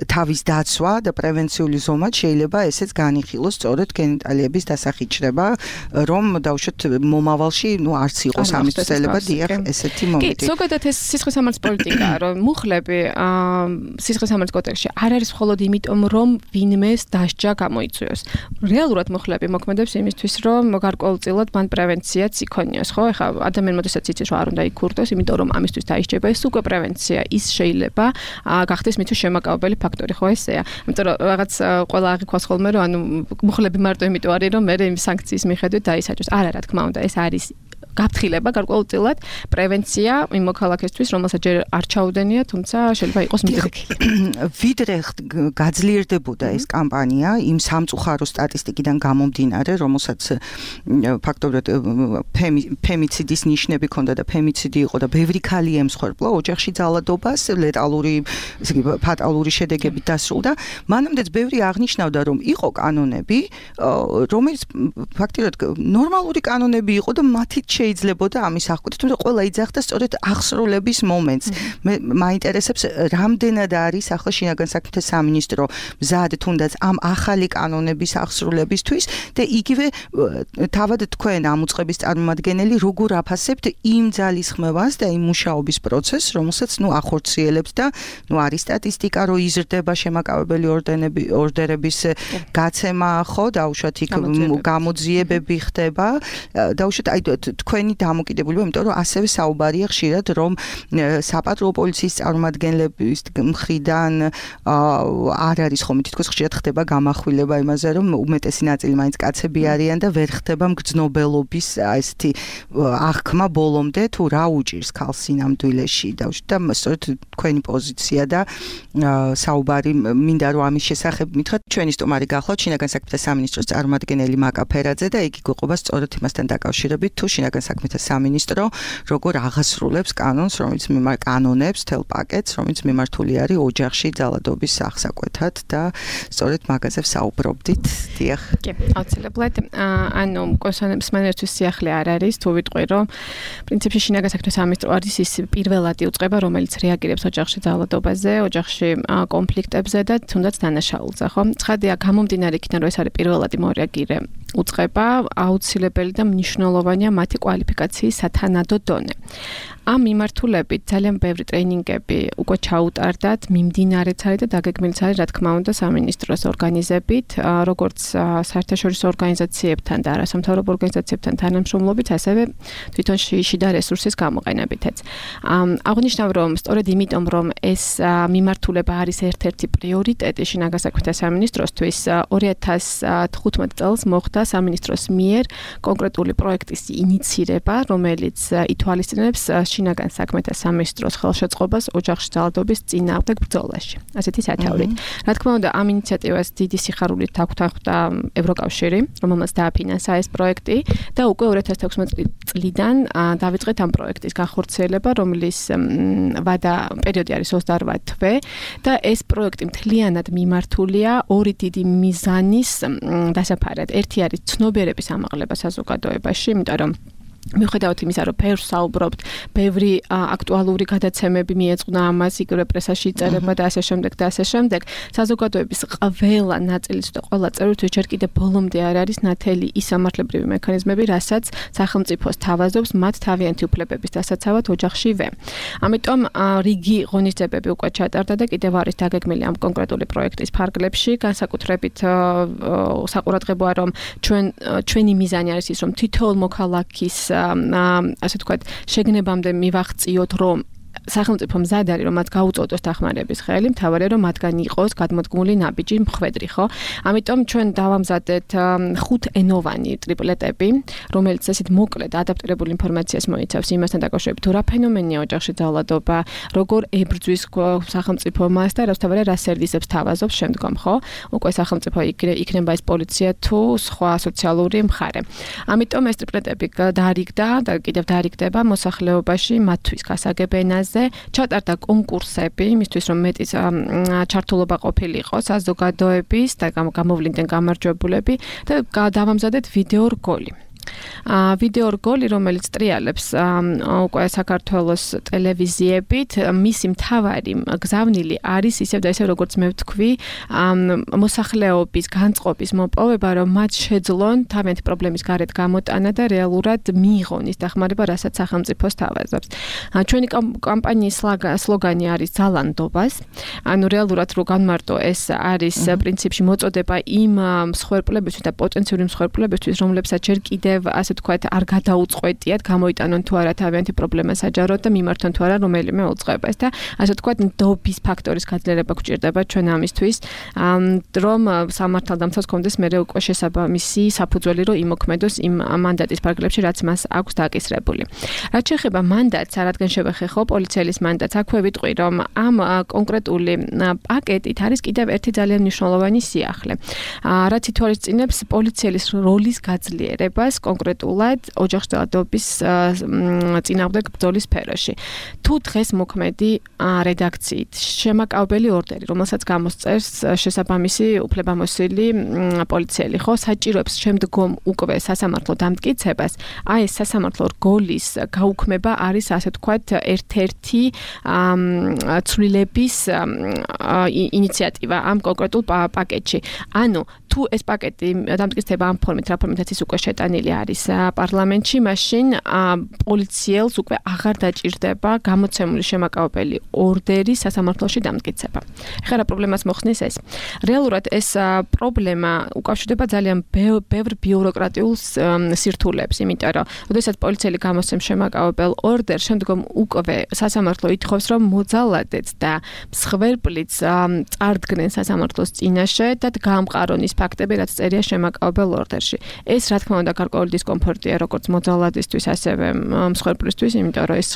თავის დაცვა და პრევენციული ზომად შეიძლება ესეც განიხილოს სწორედ გენიტალიების დასახიჩრება, რომ დავუშვათ მომავალში, არც იყოს ამის ცდელება, დიახ, ესეთი მომენტი. კი, ზოგადად ეს სისხლის სამართლის პოლიტიკაა, რომ მუხლები სისხლის სამართლის კოდექსში არ არის მხოლოდ იმიტომ, რომ ვინმეს დასჯა გამოიწვიოს. რეალურად მუხლები მოქმედებს იმისთვის, რომ გარკვეულწილად მან პრევენციაც იქონიოს, ხო? ეხლა ადამიანი მოდესაც იცის, რომ არ უნდა იქურდოს, იმიტომ რომ ამისთვის დაისჯება, ეს უკვე პრევენცია, ის შეიძლება გახდეს მისთვის შემაკავებელი ფაქტორი, ხო ესეა. იმიტომ რომ რაღაც ყველა აღიქვას ხოლმე, რომ ანუ მუხლები მარტო იმიტომ არის, რომ მე იმ სანქციის მიხედვით დაისაჯოს. არა, რა თქმა უნდა, ეს არის გაფრთხილება გარკვეულწილად პრევენცია იმ მოქალაქესთვის, რომელსაც ჯერ არ ჩაუდენია, თუმცა შეიძლება იყოს მიდრეკილი. ვიდრე გაძლიერდებოდა ეს კამპანია იმ სამწუხარო სტატისტიკიდან გამომდინარე, რომელსაც ფაქტობრივად ფემიციდის ნიშნები ჰქონდა და ფემიციდი იყო და ბევრი ქალი ემსხვერპლა ოჯახში ძალადობას, ფატალური შედეგებით დასრულდა. მანამდეც ბევრი აღნიშნავდა, რომ იყო კანონები, რომელიც ფაქტობრივად ნორმალური კანონები იყო და მათით შეიძლებოდა ამის აღკვეთა, თუმცა ყველა იძახდა სწორედ აღსრულების მომენტს. მე მაინტერესებს, რამდენად არის ახლა შინაგან საქმეთა სამინისტრო მზად თუნდაც ამ ახალი კანონების აღსრულებისთვის და იგივე თავად თქვენ ამ უწყების წარმომადგენელი როგორ აფასებთ იმ ძალისხმევას და იმ მუშაობის პროცესს, რომელსაც ახორციელებთ და არის სტატისტიკა, რომ იზრდება შემაკავებელი ორდერების გაცემა, ხო, დაუშვათ იქ გამოძიებები ხდება, დაუშვათ აი თქვენი დამოკიდებულება, იმიტომ რომ ასევე საუბარია ხშირად, რომ საპატრულო პოლიციის წარმომადგენლების მხრიდან არ არის ხომ თითქოს ხშირად ხდება გამახვილება იმაზე, რომ უმეტესი ნაწილი მაინც კაცები არიან და ვერ ხდება მგრძნობელობის ესეთი აღქმა ბოლომდე, თუ რა უჭირს ქალს სინამდვილეში. და სწორედ თქვენი პოზიცია და საუბარი მინდა რომ ამის შესახებ მითხრათ. ჩვენი სტუმარი გახლავთ შინაგან საქმეთა სამინისტროს წარმომადგენელი მაკა ფერაძე და იგი გვიყვება სწორედ იმასთან დაკავშირებით, თუ შინაგან საქმეთა სამინისტრო როგორ აღასრულებს კანონებს, თელ პაკეტს, რომელიც მიმართული არის ოჯახში ძალადობის აღსაკვეთად და სწორედ მაგაზე ვსაუბრობდით. დიახ. კი, აუცილებლად. ანუ კონსონებს მენერთვის სიახლე არ არის, თუ ვიტყვი, რომ პრინციპში შინაგან საქმეთა სამინისტრო არის ის პირველადი უწყება, რომელიც რეაგირებს ოჯახში ძალადობაზე, ოჯახში კონფლიქტებზე და თუნდაც დანაშაულზე, ხო? ცხადია, გამომდინარე იქიდან, რომ ეს არის პირველადი მორეაგირე უწყება, აუცილებელი და მნიშვნელოვანია მათი კვალიფიკაციის სათანადო დონე. ამ მიმართულებით ძალიან ბევრი ტრეინინგები უკვე ჩაუტარდათ, მიმდინარეც არის და დაგეგმილიც არის, რა თქმა უნდა, სამინისტროს ორგანიზებით, როგორც საერთაშორისო ორგანიზაციებთან და არასამთავრობო ორგანიზაციებთან თანამშრომლობით, ასევე თვითონ შიდა რესურსის გამოყენებითაც. აღნიშნავ, რომ სწორედ იმიტომ, რომ ეს მიმართულება არის ერთ-ერთი პრიორიტეტი შინაგან საქმეთა სამინისტროსთვის, 2015 წელს მოხდა სამინისტროს მიერ კონკრეტული პროექტის ინიცირება, რომელიც ითვალისწინებს შინაგან საქმეთა სამინისტროს ხელშეწყობას ოჯახში ძალადობის წინააღმდეგ ბრძოლაში. ასეთი სათაურით. რა თქმა უნდა, ამ ინიციატივას დიდი სიხარულით აქვთ ევროკავშირი, რომელმაც დააფინანსა ეს პროექტი და უკვე 2016 წლიდან დავიწყეთ ამ პროექტის განხორციელება, რომლის ვადა პერიოდი არის 28 თვე და ეს პროექტი მთლიანად მიმართულია ორი დიდი მიზანის დასაფარად. ერთი არის ცნობიერების ამაღლება საზოგადოებაში, იმიტომ რომ მიუხედავად იმისა, რომ ბევრს საუბრობთ, ბევრი აქტუალური გადაცემები მიეწყნა ამას, იგივე პრესაში იწერება და ასე შემდეგ და ასე შემდეგ, საზოგადოების ყველა ნაწილის და ყველა წევრისთვის ჯერ კიდევ ბოლომდე არ არის ნათელი ის სამართლებრივი მექანიზმები, რასაც სახელმწიფოს თავაზობს მათ თავიანთი უფლებების დასაცავად ოჯახშივე. ამიტომ რიგი ღონისძიებები უკვე ჩატარდა და კიდევ არის დაგეგმილი ამ კონკრეტული პროექტის ფარგლებში, განსაკუთრებით საყურადღებოა, რომ ჩვენი მიზანი არის ის, რომ თითოეულ მოქალაქის ასე თქვათ, შეგნებამდე მივაღწიოთ, რომ სახელმწიფო მზად არის, რომ მათ გაუწოდოს დახმარების ხელი, მთავარია, რომ მათგან იყოს გადმოდგმული ნაბიჯი მხვედრი, ხო? ამიტომ ჩვენ დავამზადეთ 5-ენოვანი ტრიპლეტები, რომელიც ესეთ მოკლედ ადაპტირებული ინფორმაციას მოიცავს იმასთან დაკავშირებით, თუ რა ფენომენია ოჯახში ძალადობა, როგორ ებრძვის სახელმწიფო მას და თავარია რა სერვისებს თავაზობს შემდგომ, ხო? უკვე სახელმწიფო იქნება ეს პოლიცია თუ სხვა სოციალური მხარე. ამიტომ ეს ტრიპლეტები დაარიგდა და კიდევ დაარიგდება მოსახლეობაში მათთვის გასაგებ ენაზე. ჩატარდა კონკურსები, იმისთვის რომ მეტი ჩართულობა ყოფილიყო საზოგადოების და გამოვლინდნენ გამარჯვებულები და დავამზადეთ ვიდეო რგოლი. ვიდეო რგოლი, რომელიც ტრიალებს უკვე საქართველოს ტელევიზიებით, მისი მთავარი გზავნილი არის ისევ და ისევ როგორც მე ვთქვი, მოსახლეობის განწყობის მოპოვება, რომ მათ შეძლონ თავიანთი პრობლემის გარეთ გამოტანა და რეალურად მიიღონ ის დახმარება, რასაც სახელმწიფოს თავაზობს. ჩვენი კამპანიის სლოგანი არის ძალანდობას. ანუ რეალურად რო განმარტო, ეს არის პრინციპში მოწოდება იმ მსხვერპლებისთვის და პოტენციური მსხვერპლებისთვის, რომლებსაც ჯერ კიდევ ასე თქვათ, არ გადაუწყვეტიათ, გამოიტანონ თუ არა თავიანთი პრობლემა საჯაროდ და მიმართონ თუ არა რომელიმე უწყებას და ასე თქვათ, ნდობის ფაქტორის გაძლიერება გვჭირდება ჩვენ ამისთვის, რომ სამართალდამცავს კონდეს მე უკვე შესაბამისი საფუძველი, რომ იმოქმედოს იმ მანდატის ფარგლებში, რაც მას აქვს დაკისრებული. რაც შეეხება მანდატს, რადგან შევეხე ხო პოლიციელის მანდატს, აქვე ვიტყვი, რომ ამ კონკრეტული პაკეტით არის კიდევ ერთი ძალიან მნიშვნელოვანი სიახლე, რაც ითვალისწინებს პოლიციელის როლის გაძლიერებას კონკრეტულად ოჯახშვილობის წინააღმდეგ ბრძოლის სფეროში. თუ დღეს მოქმედი რედაქციით შემაკავებელი ორდერი, რომელსაც გამოსწერს შესაბამისი უფლებამოსილი პოლიციელი, ხო, საჭიროებს შემდგომ უკვე სასამართლო დამტკიცებას, აი ეს სასამართლო რგოლის გაუქმება არის ასე თქვათ ერთ-ერთი ცვლილების ინიციატივა ამ კონკრეტულ პაკეტში. ანუ თუ ეს პაკეტი დამტკიცდება ამ ფორმით, რა ფორმითაც ის უკვე შეტანილი არის პარლამენტში, მაშინ პოლიციელს უკვე აღარ დაჭირდება გამოცემული შემაკავებელი ორდერი სასამართლოში დამტკიცება. ეხლა რა პრობლემას მოხსნის ეს? რეალურად ეს პრობლემა უკავშირდება ძალიან ბევრ ბიუროკრატიულ სირთულეებს, იმიტომ რომ როდესაც პოლიციელი გამოსცემს შემაკავებელ ორდერს, შემდგომ უკვე სასამართლო ითხოვს, რომ მოძალადეც და მსხვერპლიც წარდგნენ სასამართლოს წინაშე და გაამყარონ ის ფაქტები, რაც წერია შემაკავებელ ორდერში. ეს რა თქმა უნდა გარკვეული დისკომფორტია როგორც მოძალადისთვის, ასევე მსხვერპლისთვის, იმიტომ რომ ეს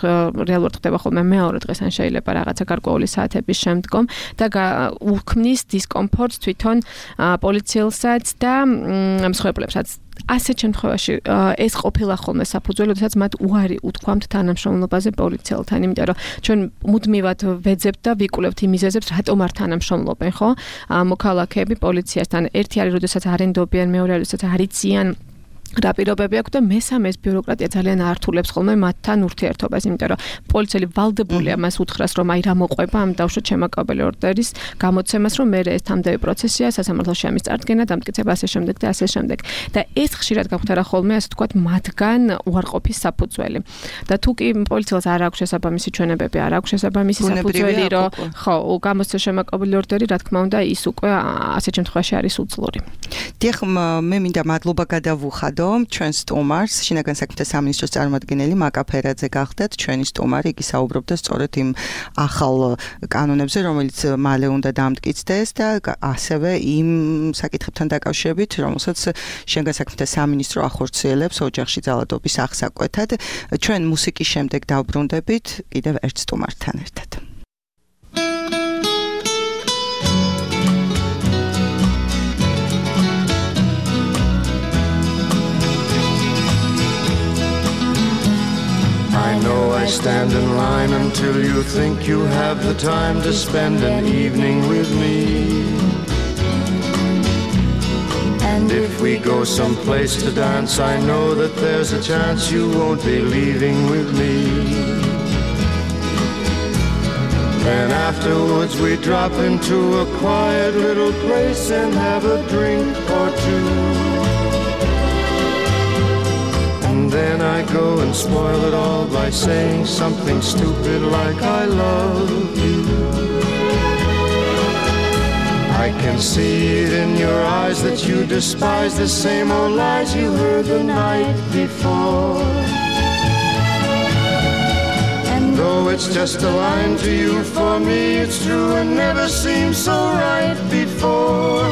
რეალურად ხდება ხოლმე მეორე დღეს ან შეიძლება რაღაცა გარკვეული საათების შემდგომ და უქმნის დისკომფორტს თვითონ პოლიციელსაც და მსხვერპლებსაც. ასეთ შემთხვევაში ეს ყოფილა ხოლმე საფუძველი, როდესაც მათ უარი უთქვამთ თანამშრომლობაზე პოლიციელთან, იმიტომ რომ ჩვენ მუდმივად ვეძებთ და ვიკვლევთ იმ მიზეზებს, რატომ არ თანამშრომლობენ, ხო? მოქალაქეები პოლიციასთან. ერთი არის, როდესაც არ ენდობიან, მეორე არის, როდესაც არ იციან რა პირობები აქვს და მესამე ეს ბიუროკრატია ძალიან ართულებს ხოლმე მათთან ურთიერთობას, იმიტომ რომ პოლიციელი ვალდებულია მას უთხრას, რომ აი რა მოყვება ამ დავშოთ შემაკავებელი ორდერის გამოცემას, რომ მე ეს თამდევი პროცესია, სასამართლოში ამის წარდგენა, დამტკიცება ასე შემდეგ და ასე შემდეგ. და ეს ხშირად გაგვხდება ხოლმე, ასე თქვათ, მათგან უარყოფის საფუძველი. და თუ კი პოლიციელს არ აქვს შესაბამისი ჩვენებები, არ აქვს შესაბამისი საფუძველი, რომ ხო, გამოსცეს შემაკავებელი ორდერი, რა თქმა უნდა, ის უკვე ასეთ შემთხვევაში არის უძლური. დიახ, მე მინდა მადლობა გადავუხადო ჩვენ სტუმარს, შინაგან საქმეთა სამინისტროს წარმომადგენელი მაკა ფერაძე გახდათ ჩვენი სტუმარი, იგი საუბრობდა სწორედ იმ ახალ კანონებზე, რომელიც მალე უნდა დამტკიცდეს და ასევე იმ საკითხებთან დაკავშირებით, რომელსაც შინაგან საქმეთა სამინისტრო ახორციელებს ოჯახში ძალადობის აღსაკვეთად. ჩვენ მუსიკის შემდეგ დავბრუნდებით კიდევ ერთ სტუმართან ერთად. I know I stand in line until you think you have the time to spend an evening with me. And if if we go someplace to dance, I know that there's a chance you won't be leaving with me. Then afterwards we drop into a quiet little place and have a drink or two. And then I go and spoil it all by saying something stupid like I love you. I can see it in your eyes that you despise the same old lies you heard the night before. And though it's just a line to you, for me it's true and never seemed so right before.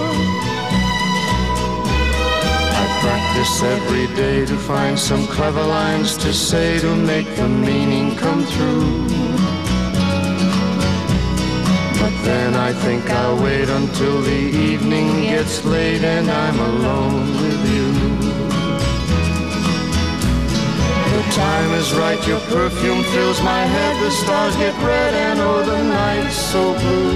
I practice every day to find some clever lines to say to make the meaning come through. Then I think I'll wait until the evening gets late and I'm alone with you. The time is right, your perfume fills my head, the stars get red and oh the night's so blue.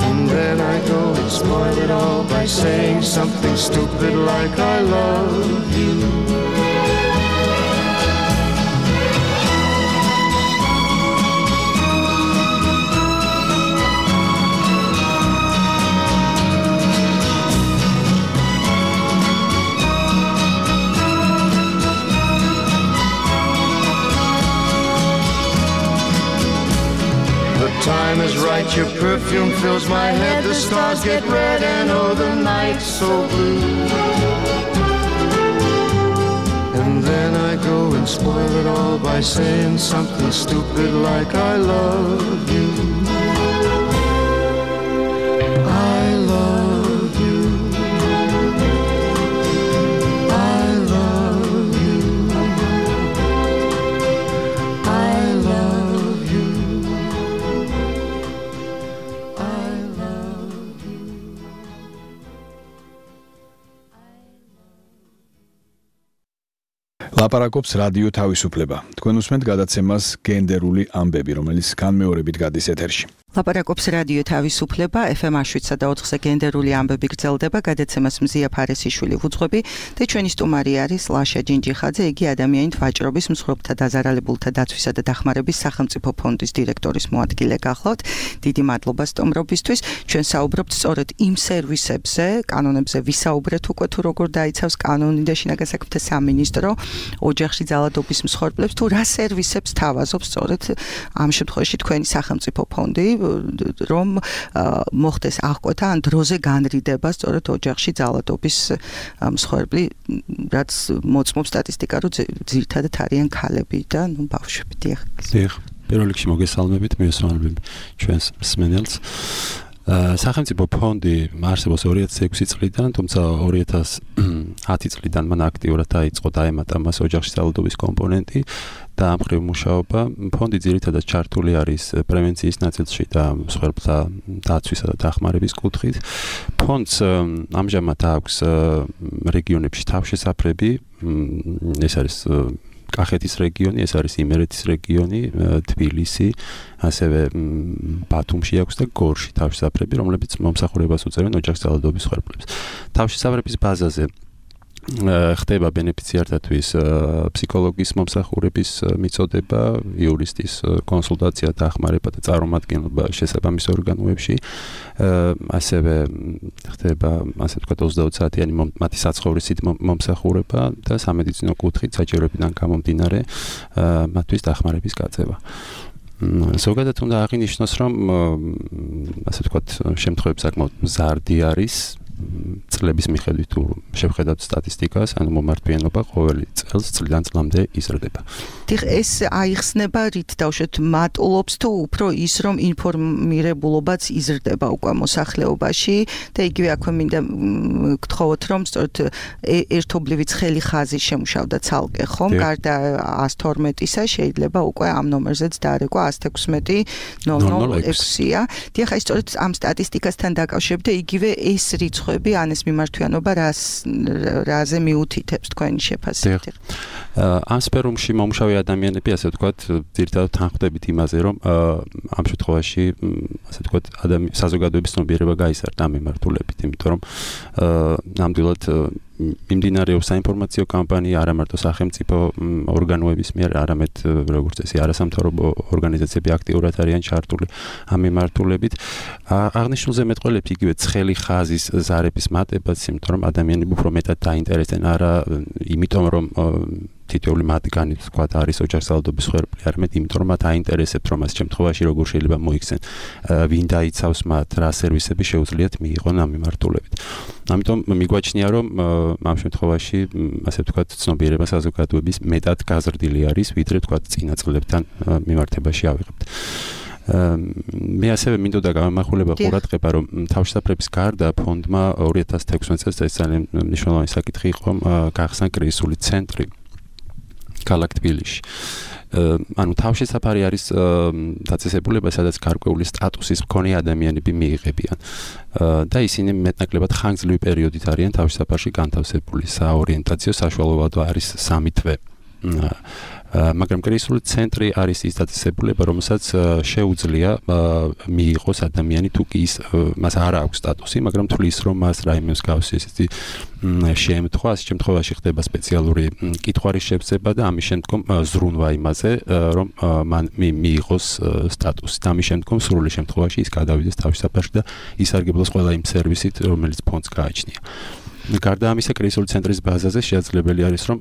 And then I go and spoil it all by saying something stupid like I love you. Time is right, your perfume fills my head, the stars get red and oh the night's so blue. And then I go and spoil it all by saying something stupid like I love you. I love you. I love you. I love you. ლაპარაკობს რადიო თავისუფლება. თქვენ უსმენთ გადაცემას გენდერული ამბები, რომელიც განმეორებით გადის ეთერში. ლაპარაკობს რადიო თავისუფლება, FM 107.4-ზე გენდერული ამბები გრძელდება, გადაცემას მზია ფარესიშვილი ვუძღვები და ჩვენი სტუმარი არის ლაშა ჯინჯიხაძე, იგი ადამიანით ვაჭრობის, მსხვერპლთა დაზარალებულთა დაცვისა და დახმარების სახელმწიფო ფონდის დირექტორის მოადგილე გახლავთ. დიდი მადლობა სტუმრობისთვის. ჩვენ საუბრობთ სწორედ იმ სერვისებზე, კანონებზე ვისაუბრეთ უკვე თუ როგორ დაიცავს კანონი და შინაგან საქმეთა სამინისტრო ოჯახში ძალადობის მსხვერპლებს, თუ რა სერვისებს თავაზობს სწორედ ამ შემთხვევაში თქვენი სახელმწიფო ფონდი, რომ მოხდეს აღკვეთა ან დროზე განრიდება სწორედ ოჯახში ძალადობის მსხვერპლი, რაც მოწმობს სტატისტიკა, რომ ძირითადად არიან ქალები და ბავშვები. დიახ. პირველ რიგში მოგესალმებით, მივესალმებით ჩვენს მსმენელს. სახელმწიფო ფონდი არსებობს 2006 წლიდან, თუმცა 2010 წლიდან მან აქტიურად დაიწყო დაემატა მას ოჯახში ძალადობის კომპონენტი და ამ მხრივ მუშაობა. ფონდი ძირითადად ჩართული არის პრევენციის ნაწილში და მსხვერპლთა დაცვისა და დახმარების კუთხით. ფონდს ამჟამად აქვს რეგიონებში თავშესაფრები, ეს არის კახეთის რეგიონი, ეს არის იმერეთის რეგიონი, თბილისი, ასევე ბათუმში აქვს და გორში თავშესაფრები, რომლებიც მომსახურებას უწევენ ოჯახის ძალადობის მსხვერპლებს. თავშესაფრების ბაზაზე ხდება ბენეფიციართათვის ფსიქოლოგის მომსახურების მიწოდება, იურისტის კონსულტაცია, დახმარება და წარმომადგენლობა შესაბამის ორგანოებში. ასევე ხდება, ასე ვთქვათ, 20 საათიანი მათი საცხოვრისით მომსახურება და სამედიცინო კუთხით საჭიროებიდან გამომდინარე მათთვის დახმარების გაწევა. ზოგადად უნდა აღინიშნოს, რომ ასე ვთქვათ, შემთხვევები საკმაოდ მზარდი არის. წლების მიხედვით თუ შევხედავთ სტატისტიკას, ანუ მომართვიანობა ყოველი წელს წლიდან წლამდე იზრდება. დიახ, ეს აიხსნება რით დავშოთ მატულობს თუ უფრო ის რომ ინფორმირებულობაც იზრდება უკვე მოსახლეობაში და იგივე აქვე მინდა გთხოვოთ რომ სწორედ ერთობლივი ცხელი ხაზი შემუშავდა ცალკე ხომ, გარდა 112-ისა შეიძლება უკვე ამ ნომერზეც დაარეკვა 116-006-ია. დიახ, აი სწორედ ამ სტატისტიკასთან დაკავშირებით და იგივე ეს რიცხვები ან ეს მიმართვიანობა რაზე მიუთითებს თქვენი შეფასებით? ამ სფეროში მომუშავე ადამიანები, ასე ვთქვათ, ძირითადად თანხმდებით იმაზე, რომ ამ შემთხვევაში, ასე ვთქვათ, საზოგადოების ცნობიერება გაიზარდა ამ მიმართულებით, იმიტომ რომ ნამდვილად მიმდინარეობს საინფორმაციო კამპანია არა მარტო სახელმწიფო ორგანოების მიერ, არამედ როგორც წესი არასამთავრობო ორგანიზაციები აქტიურად არიან ჩართული ამ მიმართულებით. აღნიშნულზე მეტყველებს იგივე ცხელი ხაზის ზარების მატებაც, იმიტომ რომ ადამიანები უფრო მეტად დაინტერესდნენ არა იმიტომ რომ თითოეული მათგანი თქვათ არის ოჯახსალდობის ხერხი, არამედ იმიტომ რომ მათ აინტერესებთ რომ ამ შემთხვევაში როგორ შეიძლება მოიქცენ, ვინ დაიცავს მათ, რა სერვისები შეუძლიათ მიიღონ ამ მიმართულებით. ამიტომ მიგვაჩნია რომ ამ შემთხვევაში ასე ვთქვათ ცნობიერება საზოგადოების მეტად გაზრდილი არის, ვიდრე ვთქვათ წინა წლებთან მიმართებაში ავიღებთ. მე ასევე მინდოდა გამახვილება ყურადღება რომ თავშესაფრების გარდა ფონდმა 2016 წელს ეს ძალიან მნიშვნელოვანი საკითხი იყო გახსნა კრიზისული ცენტრი ქალაქ თბილისში. ანუ თავშესაფარი არის დაწესებულება, სადაც გარკვეული სტატუსის მქონე ადამიანები მიიღებიან. და ისინი მეტნაკლებად ხანგრძლივი პერიოდით არიან თავშესაფარში განთავსებული. საორიენტაციო საშუალებად არის 3 თვე. მაგრამ კრიზისული ცენტრი არის ის დაწესებულება, რომელსაც შეუძლია მიიღოს ადამიანი თუ კი ის მას არ აქვს სტატუსი, მაგრამ თulis რომ მას რაიმე მსგავსი ესეთი შემთხვევა, ამ შემთხვევაში ხდება სპეციალური კითხვარის შეფსება და ამის შემდგომ ზრუნვა იმაზე, რომ მან მიიღოს სტატუსი. და ამის შემდგომ სრული შემთხვევაში ის გადავიდეს თავშესაფარში და ისარგებლოს ყველა იმ სერვისით, რომელიც ფონდს გააჩნია. გარდა ამისა, კრიზისული ცენტრის ბაზაზე შესაძლებელი არის, რომ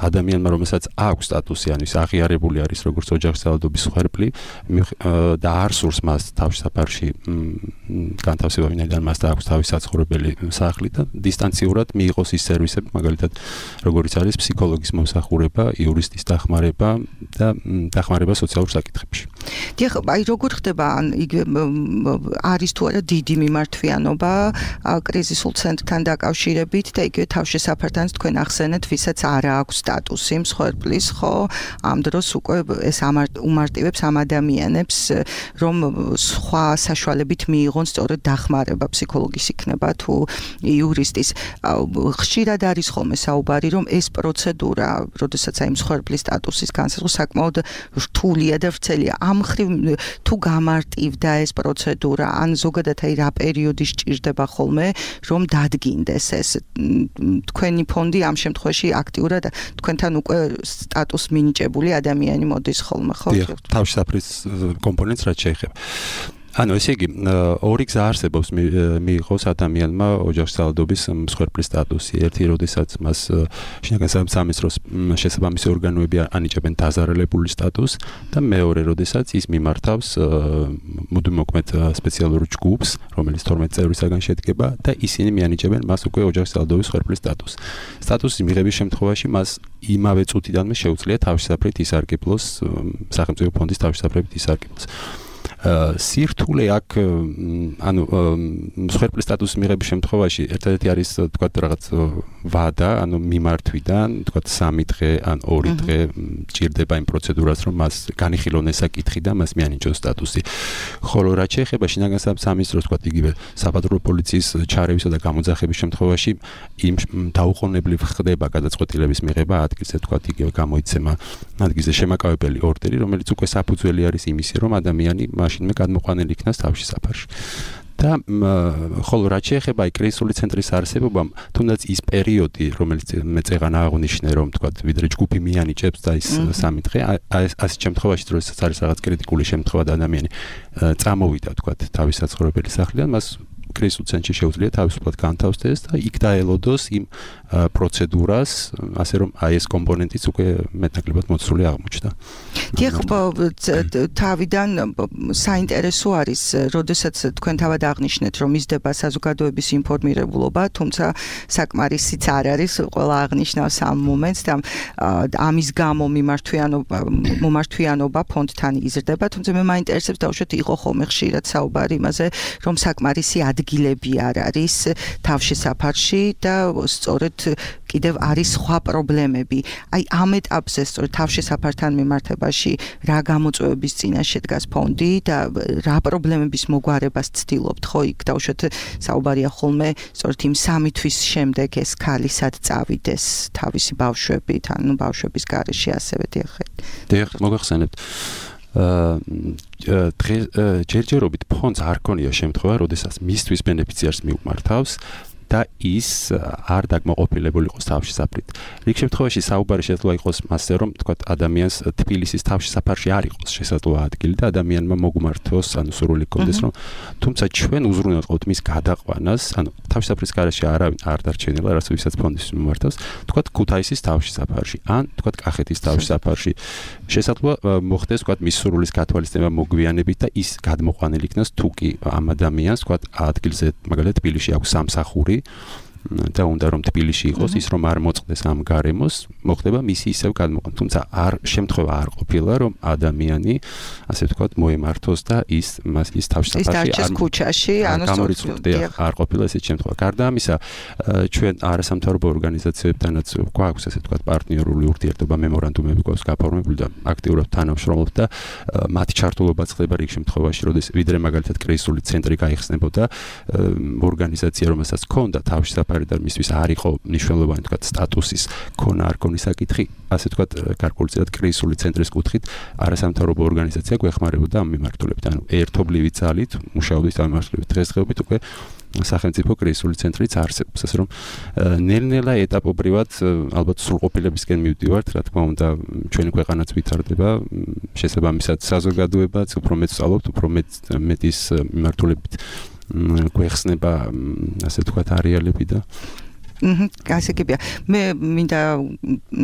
ადამიანმა, რომელსაც აქვს სტატუსი, ანუ ის აღიარებული არის როგორც ოჯახსალდობის ხერხი და არ სურს მას თავშესაფარში განთავსება, ვინაიდან მას აქვს თავის საცხოვრებელი სახლი და დისტანციურად მიიღოს ის სერვისები, მაგალითად, როგორიც არის ფსიქოლოგის მომსახურება, იურისტის დახმარება და დახმარება სოციალურ საკითხებში. დიახ, აი როგორ ხდება არის თუ არა დიდი მიმართვიანობა კრიზისულ ცენტრთან დაკავშირებით და იგივე თავშესაფართან თქვენ ახსენეთ, ვისაც არ აქვს სტატუსი მსხვერპლის, ხო? ამ დროს უკვე ეს უმარტივებს ამ ადამიანებს, რომ სხვა საშუალებით მიიღონ სწორედ დახმარება, ფსიქოლოგის იქნება თუ იურისტის. ხშირად არის ხოლმე საუბარი, რომ ეს პროცედურა, როდესაც აი მსხვერპლის სტატუსის განსაზღვრა საკმაოდ რთულია და ვრცელია. ამ მხრივ თუ გამარტივდა ეს პროცედურა, ან ზოგადად აი რა პერიოდი სჭირდება ხოლმე, რომ დადგინდეს ეს თქვენი ფონდი ამ შემთხვევაში აქტიურად თქვენთან უკვე სტატუს მინიჭებული ადამიანი მოდის ხოლმე, ხო? თავშესაფრის კომპონენტს რაც შეეხება. ანუ ესე იგი, ორი გზა არსებობს მიიღოს ადამიანმა ოჯახსალდობის მსხვერპლის სტატუსი. ერთი, როდესაც მას შინაგან სამინისტროს შესაბამისი ორგანოები ანიჭებენ დაზარალებული სტატუსს და მეორე, როდესაც ის მიმართავს მუდმივმოქმედ სპეციალურ ჯგუფს, რომელიც 12 წევრისაგან შედგება და ისინი მიანიჭებენ მას უკვე ოჯახსალდობის მსხვერპლის სტატუსს. სტატუსის მიღების შემთხვევაში მას იმავე წუთიდანვე შეუძლია თავშესაფრით ისარგებლოს, სახელმწიფო ფონდის თავშესაფრებით ისარგებლოს. სირთულე აქ ანუ მსხვერპლის სტატუსის მიღების შემთხვევაში ერთადერთი არის თქვათ რაღაც ვადა, ანუ მიმართვიდან თქვათ 3 დღე ან 2 დღე ჭირდება იმ პროცედურას, რომ მას განიხილონ ეს საკითხი და მას მიანიჭოს სტატუსი. ხოლო რაც შეეხება შინაგან სამინისტროს თქვათ იგივე საპატრულო პოლიციის ჩარევისა და გამოძახების შემთხვევაში იმ დაუყოვნებლივ ხდება გადაწყვეტილების მიღება ადგილზე, თქვათ იგივე გამოიცემა ადგილზე შემაკავებელი ორდერი, რომელიც უკვე საფუძველი არის იმისი, რომ ადამიანი მაშინვე გადმოყვანილი იქნას თავშესაფარში. და ხოლო რაც შეეხება კრიზისული ცენტრის არსებობამ, თუნდაც ის პერიოდი, რომელიც მე წეღან აღნიშნე, რომ თქვათ, ვიდრე ჯგუფი მიანიჭებს და ის 3 დღე, ასეთ შემთხვევაში, როდესაც არის რაღაც კრიტიკული შემთხვევა და ადამიანი წამოვიდა, თქვათ, თავის საცხოვრებელი სახლიდან, მას კრიზისულ ცენტრში შეუძლია თავისუფლად განთავსდეს და იქ დაელოდოს იმ პროცედურას, ასე რომ აი ეს კომპონენტიც უკვე მეტნაკლებად მოცული აღმოჩნდა. დიახ, თავიდან საინტერესო არის, როდესაც თქვენ თავად აღნიშნეთ, რომ მისდება საზოგადოების ინფორმირებულობა, თუმცა საკმარისიც არ არის, ყველა აღნიშნავს ამ მომენტს და ამის გამო მიმართვიანობა ფონდთან იზრდება, თუმცა მე მაინტერესებს დაუშვათ იყო ხოლმე ხშირად საუბარი იმაზე, რომ საკმარისი ადგილები არ არის თავშესაფარში და სწორედ კიდევ არის სხვა პრობლემები. აი ამ ეტაპზე სწორედ თავშესაფართან მიმართებაში რა გამოწვევების წინაშე დგას ფონდი და რა პრობლემების მოგვარებას ცდილობთ, ხო, იქ დავუშვათ საუბარია ხოლმე სწორედ იმ 3 თვის შემდეგ ეს ქალი სად წავიდეს თავისი ბავშვებით, ანუ ბავშვების გარეშე ასევე დიახეთ. დიახ, მოგახსენებთ. ჯერჯერობით ფონდს არ ქონია შემთხვევა, როდესაც მისთვის ბენეფიციარს მიუმართავს და ის არ დაკმაყოფილებული იყოს თავშესაფრით. რიგ შემთხვევაში საუბარი შესაძლოა იყოს მასზე, რომ თქვათ ადამიანს თბილისის თავშესაფარში არ იყოს შესაძლოა ადგილი და ადამიანმა მოგმართოს, ანუ სურვილი ჰქონდეს, რომ თუმცა ჩვენ უზრუნველყოფთ მის გადაყვანას, ანუ თავშესაფრის გარეშე არავინ არ დარჩენილა, რაც ვისაც ფონდის მიმართავს, თქვათ ქუთაისის თავშესაფარში, ან თქვათ კახეთის თავშესაფარში. შესაძლოა მოხდეს, თქვათ მის სურვილის გათვალისწინება მოგვიანებით და ის გადმოყვანილი იქნას თუ კი ამ ადამიანს, თქვათ ადგილზე, მაგალითად თბილისში აქვს სამსახური და უნდა რომ თბილისში იყოს ის რომ არ მოწყდეს ამ გარემოს მოხდება მისი ისევ გადმოყვანა თუმცა შემთხვევა არ ყოფილა რომ ადამიანი ასე ვთქვათ მოემართოს და ის თავშესაფარში არ ქუჩაში ანუ არ ყოფილა ესეთ შემთხვევა გარდა ამისა ჩვენ არასამთავრობო ორგანიზაციებთანაც გვაქვს ასე ვთქვათ პარტნიორული ურთიერთობა მემორანდუმები გვაქვს გაფორმებული და აქტიურად თანამშრომლობთ და მათი ჩართულობაც ხდება რიგ შემთხვევაში როდის ვიდრე მაგალითად კრიზისული ცენტრი გაიხსნებოდა ორგანიზაცია რომელსაც ჰქონდა თავშესაფარი და მისთვის არ იყო მნიშვნელოვანი თქვათ სტატუსის ქონა არ ქონის საკითხი ასე თქვათ გარკვეულწილად კრიზისული ცენტრის კუთხით არასამთავრობო ორგანიზაცია გვეხმარებოდა ამ მიმართულებით ანუ ერთობლივი ძალით მუშაობდით ამ მიმართულებით დღესდღეობით უკვე სახელმწიფო კრიზისული ცენტრიც არსებობს ასე რომ ნელ-ნელა ეტაპობრივად ალბათ სრულყოფილებისკენ მივდივართ რა თქმა უნდა ჩვენი ქვეყანაც ვითარდება შესაბამისად საზოგადოებაც უფრო მეტ სწავლობთ უფრო მეტის მიმართულებით გვეხსნება ასე თქვათ არეალები და გასაგებია მე მინდა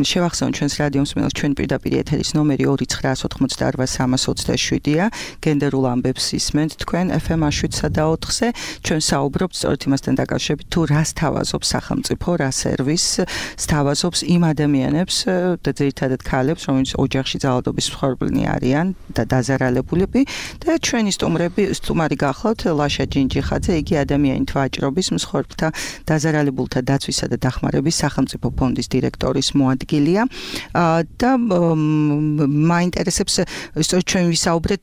შევახსენო ჩვენს რადიო მსმენელს ჩვენ პირდაპირ ეთერის ნომერი 2988327-ია გენდერულ ამბებს ისმენთ თქვენ FM 7-4-ზე ჩვენ საუბრობთ სწორედ იმასთან დაკავშირებით თუ რას თავაზობს სახელმწიფო რა სერვისს თავაზობს იმ ადამიანებს და ძირითადად ქალებს რომლებიც ოჯახში ძალადობის მსხვერპლნი არიან და დაზარალებულები და ჩვენი სტუმარი გახლავთ ლაშა ჯინჯიხაძე იგი ადამიანით ვაჭრობის მსხვერპლთა დაზარალებულთა ვისა და დახმარების სახელმწიფო ფონდის დირექტორის მოადგილეა და მაინტერესებს სწორედ ჩვენ ვისაუბრეთ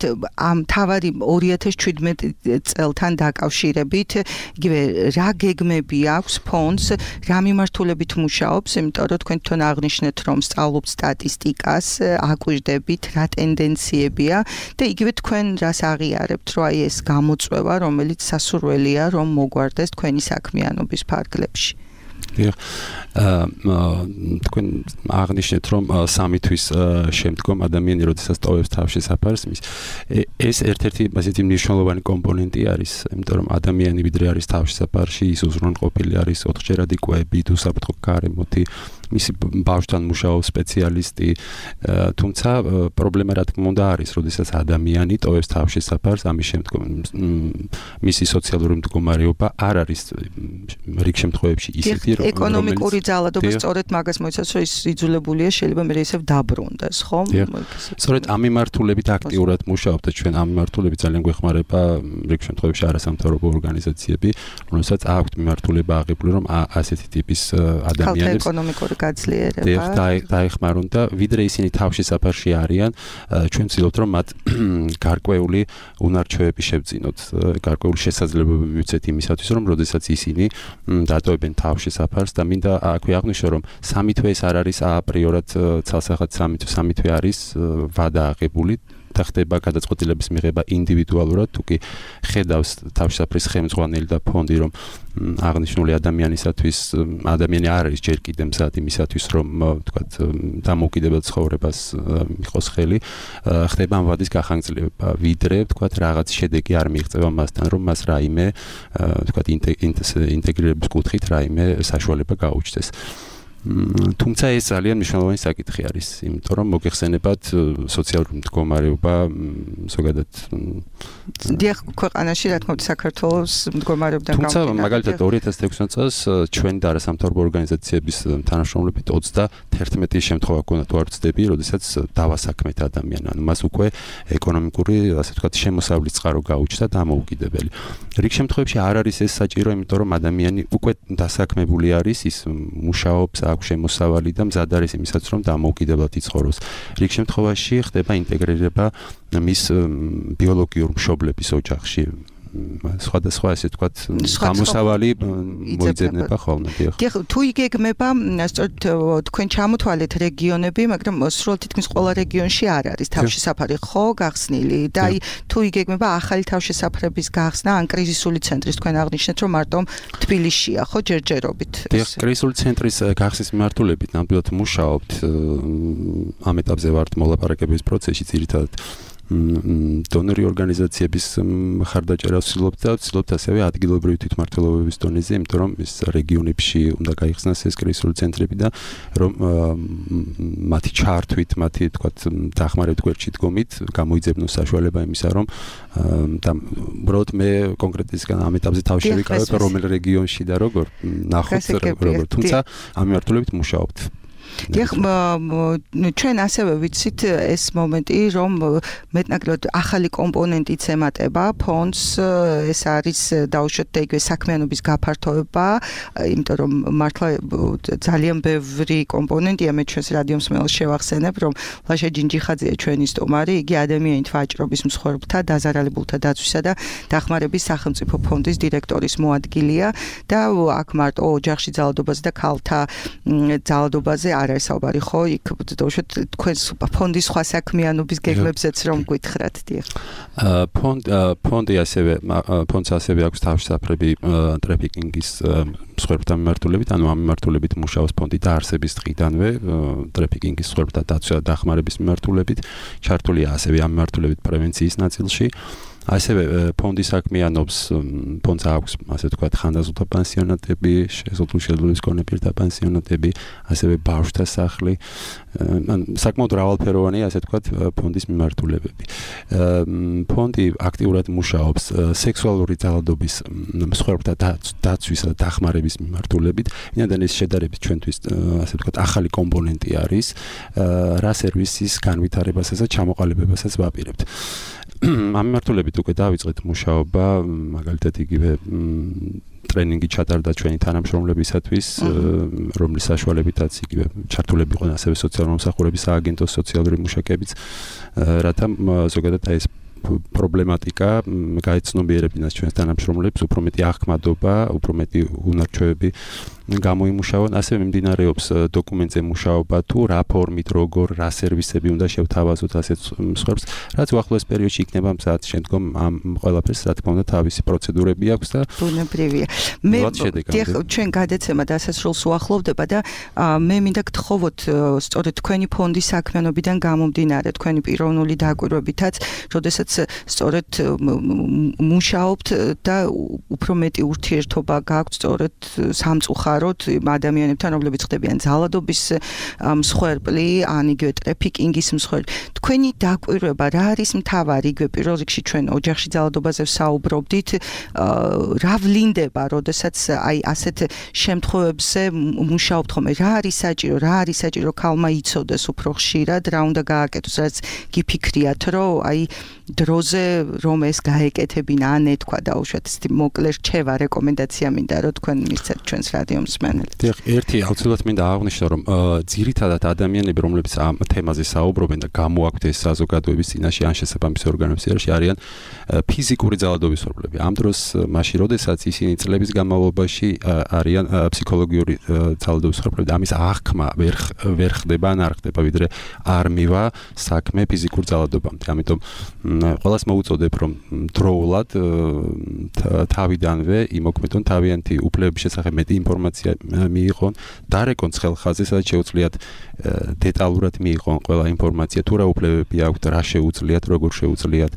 ამ თავარი 2017 წელთან დაკავშირებით იგივე რა გეგმები აქვს ფონდს რა მიმართულებით მუშაობს იმიტომ რომ თქვენ თვითონ აღნიშნეთ რომ სწავლობთ სტატისტიკას აკვირდებით რა ტენდენციებია და იგივე თქვენ რას აღიარებთ რომ აი ეს გამოწვევა რომელიც სასურველია რომ მოგვარდეს თქვენი საქმიანობის ფარგლებში თქვენ აღნიშნეთ რომ 3 თვის შემდგომ ადამიანი როდესაც ტოვებს თავშესაფარს ეს ერთ-ერთი ასეთი მნიშვნელოვანი კომპონენტი არის იმიტომ რომ ადამიანი ვიდრე არის თავშესაფარში ის უზრუნველყოფილი არის 4-ჯერად იკვებით უსაფრთხო გარემოთი მისი ბავშვთან მუშაობს სპეციალისტი თუმცა პრობლემა რა თქმა უნდა არის როდესაც ადამიანი ტოვებს თავშესაფარს ამის შემდგომ მისი სოციალური მდგომარეობა არ არის რიგ შემთხვევებში ისეთი რომ ეკონომიკური ძალადობა სწორედ მაგას მოიცავს რომ ის იძულებულია შეიძლება მე ისევ დაბრუნდეს ხო სწორედ ამ მიმართულებით აქტიურად მუშაობთ და ჩვენ ამ მიმართულებით ძალიან გვეხმარება რიგ შემთხვევებში არასამთავრობო ორგანიზაციები რომელსაც აქვთ მიმართულება აღებული რომ ასეთი ტიპის ადამიანებს ეკონომიკური გაძლიერება დაეხმარონ და ვიდრე ისინი თავშესაფარში არიან ჩვენ ვცდილობთ რომ მათ გარკვეული უნარჩვევები შევძინოთ გარკვეული შესაძლებლობები მივცეთ იმისათვის რომ როდესაც ისინი დატოვებენ თავშესაფარს და მინდა აქვე აღვნიშნო რომ 3 თვე ეს არ არის აპრიორად ცალსახად 3 თვე არის ვადა აღებული და ხდება გადაწყვეტილების მიღება ინდივიდუალურად თუკი ხედავს თავშესაფრის ხელმძღვანელი და ფონდი რომ აღნიშნული ადამიანისათვის ადამიანი არ არის ჯერ კიდევ მზად იმისათვის რომ თქვათ დამოუკიდებელ ცხოვრებას მიყოს ხელი ხდება ამ ვადის გახანგრძლივება ვიდრე თქვათ რაღაც შედეგი არ მიიღწევა მასთან რომ მას რაიმე თქვათ ინტეგრირების კუთხით რაიმე საშუალება გაუჩნდეს თუმცა ეს ძალიან მნიშვნელოვანი საკითხი არის, იმიტომ რომ მოგეხსენებათ სოციალური მდგომარეობა ზოგადად დიახ, ქვეყანაში რა თქმა უნდა საქართველოს მდგომარეობიდან თუმცა მაგალითად 2016 წელს ჩვენ და არასამთავრობო ორგანიზაციების თანამშრომლებით 31 შემთხვევა ჰქონდა თუ არ ვცდები, როდესაც დავასაქმეთ ადამიანი, ანუ მას უკვე ეკონომიკური, ასე ვთქვათ, შემოსავლის წყარო გაუჩნდა დამოუკიდებელი. რიგ შემთხვევებში არ არის ეს საჭირო, იმიტომ რომ ადამიანი უკვე დასაქმებული არის, ის მუშაობს, აქვს შემოსავალი და მზად არის იმისაც, რომ დამოუკიდებლად იცხოვროს. რიგ შემთხვევაში ხდება ინტეგრირება მის ბიოლოგიურ მშობლების ოჯახში. სხვადასხვა ესე ვთქვათ გამოსავალი მოიძებნება ხოლმე. დიახ, თუ იგეგმება, სწორედ თქვენ ჩამოთვალეთ რეგიონები, მაგრამ სრულად თითქმის ყველა რეგიონში არ არის თავშესაფარი ხო გახსნილი და აი თუ იგეგმება ახალი თავშესაფრების გახსნა ან კრიზისული ცენტრის თქვენ აღნიშნეთ, რომ მარტო თბილისშია ხო ჯერჯერობით. დიახ, კრიზისული ცენტრის გახსნის მიმართულებით ნამდვილად მუშაობთ. ამ ეტაპზე ვართ მოლაპარაკების პროცესში ძირითადად დონორი ორგანიზაციების მხარდაჭერას ვცდილობთ ასევე ადგილობრივი თვითმმართველობების დონეზე, იმიტომ რომ ეს რეგიონებში უნდა გაიხსნას ეს კრიზისული ცენტრები და რომ მათი ჩართვით, მათი თქვათ დახმარებით გვერდში დგომით გამოიძებნოს საშუალება იმისა, რომ და უბრალოდ მე კონკრეტისგან ამ ეტაპზე თავში შევიკავებ რომელ რეგიონში და როგორ ნახოთ როგორ, თუმცა ამ მიმართულებით მუშაობთ. დიახ, ჩვენ ასევე ვიცით ეს მომენტი, რომ მეტნაკლებად ახალი კომპონენტიც ემატება ფონდს, ეს არის დაუშვათ და იგივე საქმიანობის გაფართოება, იმიტომ რომ მართლა ძალიან ბევრი კომპონენტია, მე ჩვენს რადიო მსმენელს შევახსენებ, რომ ლაშა ჯინჯიხაძეა ჩვენი სტუმარი, იგი ადამიანით ვაჭრობის მსხვერპლთა, დაზარალებულთა დაცვისა და დახმარების სახელმწიფო ფონდის დირექტორის მოადგილეა და აქ მარტო ოჯახში ძალადობაზე და ქალთა ძალადობაზე არ არის საუბარი ხო? იქ დაუშვათ თქვენს ფონდის სხვა საქმიანობის გეგმებზეც რომ გითხრათ, დიახ. ფონდი ასევე ფონდს ასევე აქვს თავშესაფრები ტრაფიკინგის მსხვერპლთა მიმართულებით, ანუ ამ მიმართულებით მუშაობს ფონდი დაარსების დღიდანვე ტრაფიკინგის მსხვერპლთა დაცვა და დახმარების მიმართულებით, ჩართულია ასევე ამ მიმართულებით პრევენციის ნაწილში. ასევე ფონდი საქმიანობს, ფონდს აქვს, ასე ვთქვათ, ხანდაზულთა პანსიონატები, შეზღუდული მქონე პირთა პანსიონატები, ასევე ბავშვთა სახლი, საკმაოდ მრავალფეროვანია, ასე ვთქვათ, ფონდის მიმართულებები. ფონდი აქტიურად მუშაობს სექსუალური ძალადობის მსხვერპლთა დაცვისა და დახმარების მიმართულებით. ვინაიდან ეს შედარებით ჩვენთვის, ასე ვთქვათ, ახალი კომპონენტი არის, რა სერვისის განვითარებასაც და ჩამოყალიბებასაც ვაპირებთ. ამ მიმართულებით უკვე დავიწყეთ მუშაობა, მაგალითად იგივე ტრენინგი ჩატარდა ჩვენი თანამშრომლებისათვის, რომლის საშუალებითაც იგივე ჩართულები იყვნენ ასევე სოციალური მომსახურების სააგენტოს სოციალური მუშაკებიც, რათა ზოგადად ეს პრობლემატიკა გაეცნობიერებინათ ჩვენს თანამშრომლებს, უფრო მეტი აღქმადობა, უფრო მეტი უნარჩვევები გამოიმუშავონ, ასევე მიმდინარეობს დოკუმენტზე მუშაობა თუ რა ფორმით, როგორ, რა სერვისები უნდა შევთავაზოთ ასეთ მსხვერპლს, რაც უახლოეს პერიოდში იქნება მზად, შემდგომ ამ ყველაფერს რა თქმა უნდა თავისი პროცედურები აქვს და ბუნებრივია. მე ჩვენ გადაცემა დასასრულს უახლოვდება და მე მინდა გთხოვოთ სწორედ თქვენი ფონდის საქმიანობიდან გამომდინარე, თქვენი პიროვნული დაკვირვებითაც, როდესაც სწორედ მუშაობთ და უფრო მეტი ურთიერთობა გაქვთ სწორედ სამწუხაროდ ადამიანებთან, რომლებიც ხდებიან ძალადობის მსხვერპლი, ან იგივე ტრაფიკინგის მსხვერპლი. თქვენი დაკვირვება რა არის მთავარი? იგივე პირველ რიგში ჩვენ ოჯახში ძალადობაზე ვსაუბრობდით, რა ვლინდება, როდესაც აი ასეთ შემთხვევებზე მუშაობთ ხოლმე, რა არის საჭირო ქალმა იცოდეს უფრო ხშირად, რა უნდა გააკეთოს, რაც გიფიქრიათ, რომ აი დროზე რომ ეს გაეკეთებინა, ან ეთქვა დაუშვათ მოკლე რჩევა, რეკომენდაცია მინდა რომ თქვენ მისცეთ ჩვენს რადიო მსმენელს. დიახ, ერთი აუცილებლად მინდა აღვნიშნო, რომ ძირითადად ადამიანები, რომლებიც ამ თემაზე საუბრობენ და გამოაქვთ ეს საზოგადოების წინაშე ან შესაბამის ორგანოების წინაშე არიან ფიზიკური ძალადობის მსხვერპლები. ამ დროს მაშინ, როდესაც ისინი წლების განმავლობაში არიან ფსიქოლოგიური ძალადობის მსხვერპლები, ამის აღქმა ვერ ხდება ან არ ხდება, ვიდრე არ მივა საქმე ფიზიკურ ძალადობამდე. ამიტომ ყველას მოუწოდებ, რომ დროულად თავიდანვე იმოქმედონ თავიანთი უფლებების შესახებ მეტი ინფორმაცია ინფორმაცია მიიღონ, დარეკონ ცხელხაზზე, სადაც შეუძლიათ დეტალურად მიიღონ ყველა ინფორმაცია, თუ რა უფლებები აქვთ, რა შეუძლიათ, როგორ შეუძლიათ,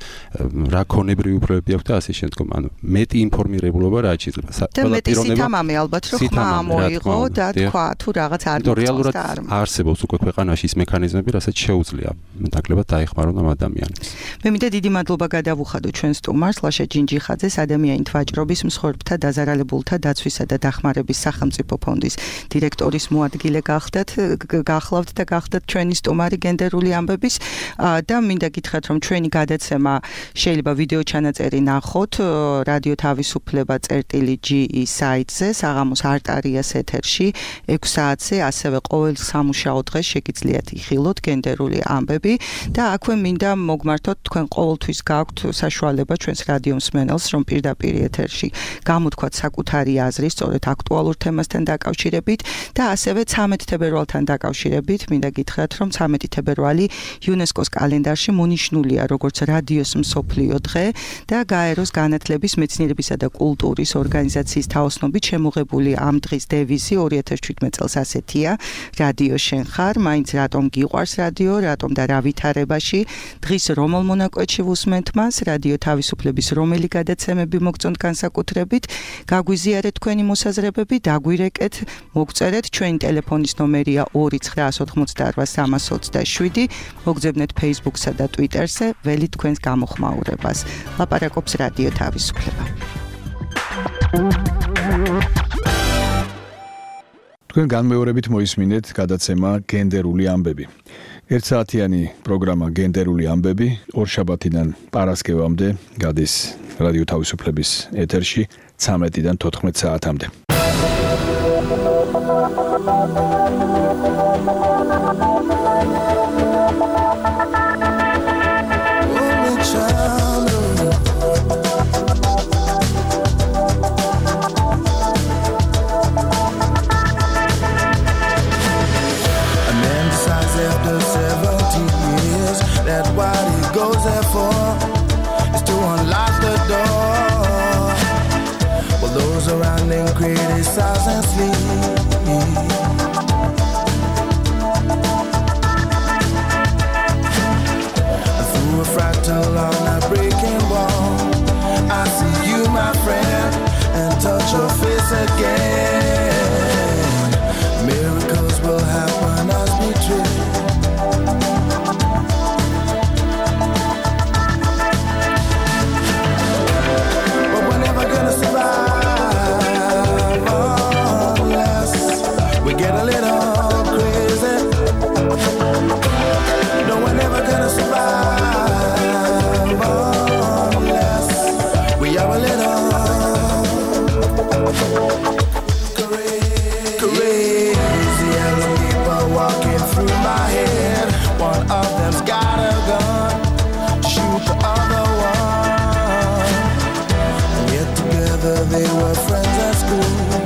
რა ქონებრივი უფლებები აქვთ და ასე შემდგომ. ანუ მეტი ინფორმირებულობა რა შეიძლება. ყველა პიროვნება მამე ალბათ რომ ხმა მოიღო და თქვა თუ რაღაც არ მოწონს. რეალურად არსებობს უკვე ქვეყანაში ის მექანიზმები, რასაც შეუძლია ნაკლებად დაეხმარონ ამ ადამიანებს. მე მინდა დიდი მადლობა გადავუხადო ჩვენ სტუმარს ლაშა ჯინჯიხაძეს, ადამიანით ვაჭრობის მსხვერპლთა დაზარალებულთა დაცვისა და დახმარების სახელმწიფო ფონდის დირექტორის მოადგილე გახლავთ და გახდათ ჩვენი სტუმარი გენდერული ამბების და მინდა გითხრათ რომ ჩვენი გადაცემა შეიძლება ვიდეო ჩანაწერი ნახოთ რადიო თავისუფლება.gi საიტზე საღამოს არტარიას ეთერში 6 საათზე ასევე ყოველ სამუშაო დღეს შეგიძლიათ იხილოთ გენდერული ამბები და აქვე მინდა მოგმართოთ თქვენ ყოველთვის გაქვთ საშუალება ჩვენს რადიო მსმენელს რომ პირდაპირ ეთერში გამოთქვათ საკუთარი აზრი სწორედ აქტუალურ თემასთან დაკავშირებით და ასევე 13 თებერვალთან დაკავშირებით მინდა გითხრათ რომ 13 თებერვალი იუნესკოს კალენდარში მონიშნულია როგორც რადიოს მსოფლიო დღე და გაეროს განათლების მეცნიერებისა და კულტურის ორგანიზაციის თაოსნობით შემოღებული ამ დღის დევიზი 2017 წელს ასეთია რადიო შენ ხარ მაინც რატომ გიყვარს რადიო რატომ და რა ვითარებაში დღის რომელ მონაკვეთში ვუსმენთ მას რადიო თავისუფლების რომელი გადაცემები მოგწონთ განსაკუთრებით გაგვიზიარეთ თქვენი მოსაზრებები დაგვირეკეთ მოგწერეთ ჩვენი ტელეფონის ნომერია 2988327 მოგძებნეთ Facebook-სა და Twitter-ზე ველი თქვენს გამოხმაურებას ლაპარაკობს რადიო თავისუფლება თქვენ განმეორებით მოისმინეთ გადაცემა გენდერული ამბები. 1 საათიანი პროგრამა გენდერული ამბები ორშაბათიდან პარასკევამდე გადის რადიო თავისუფლების ეთერში 13-დან 14 საათამდე. After 70 years, that what he goes there for is to unlock the door. Well, those around him criticize and sleep. Through a fractal on a breaking wall, I see you, my friend, and touch your face again. Miracles will happen as we dream. They were friends at school.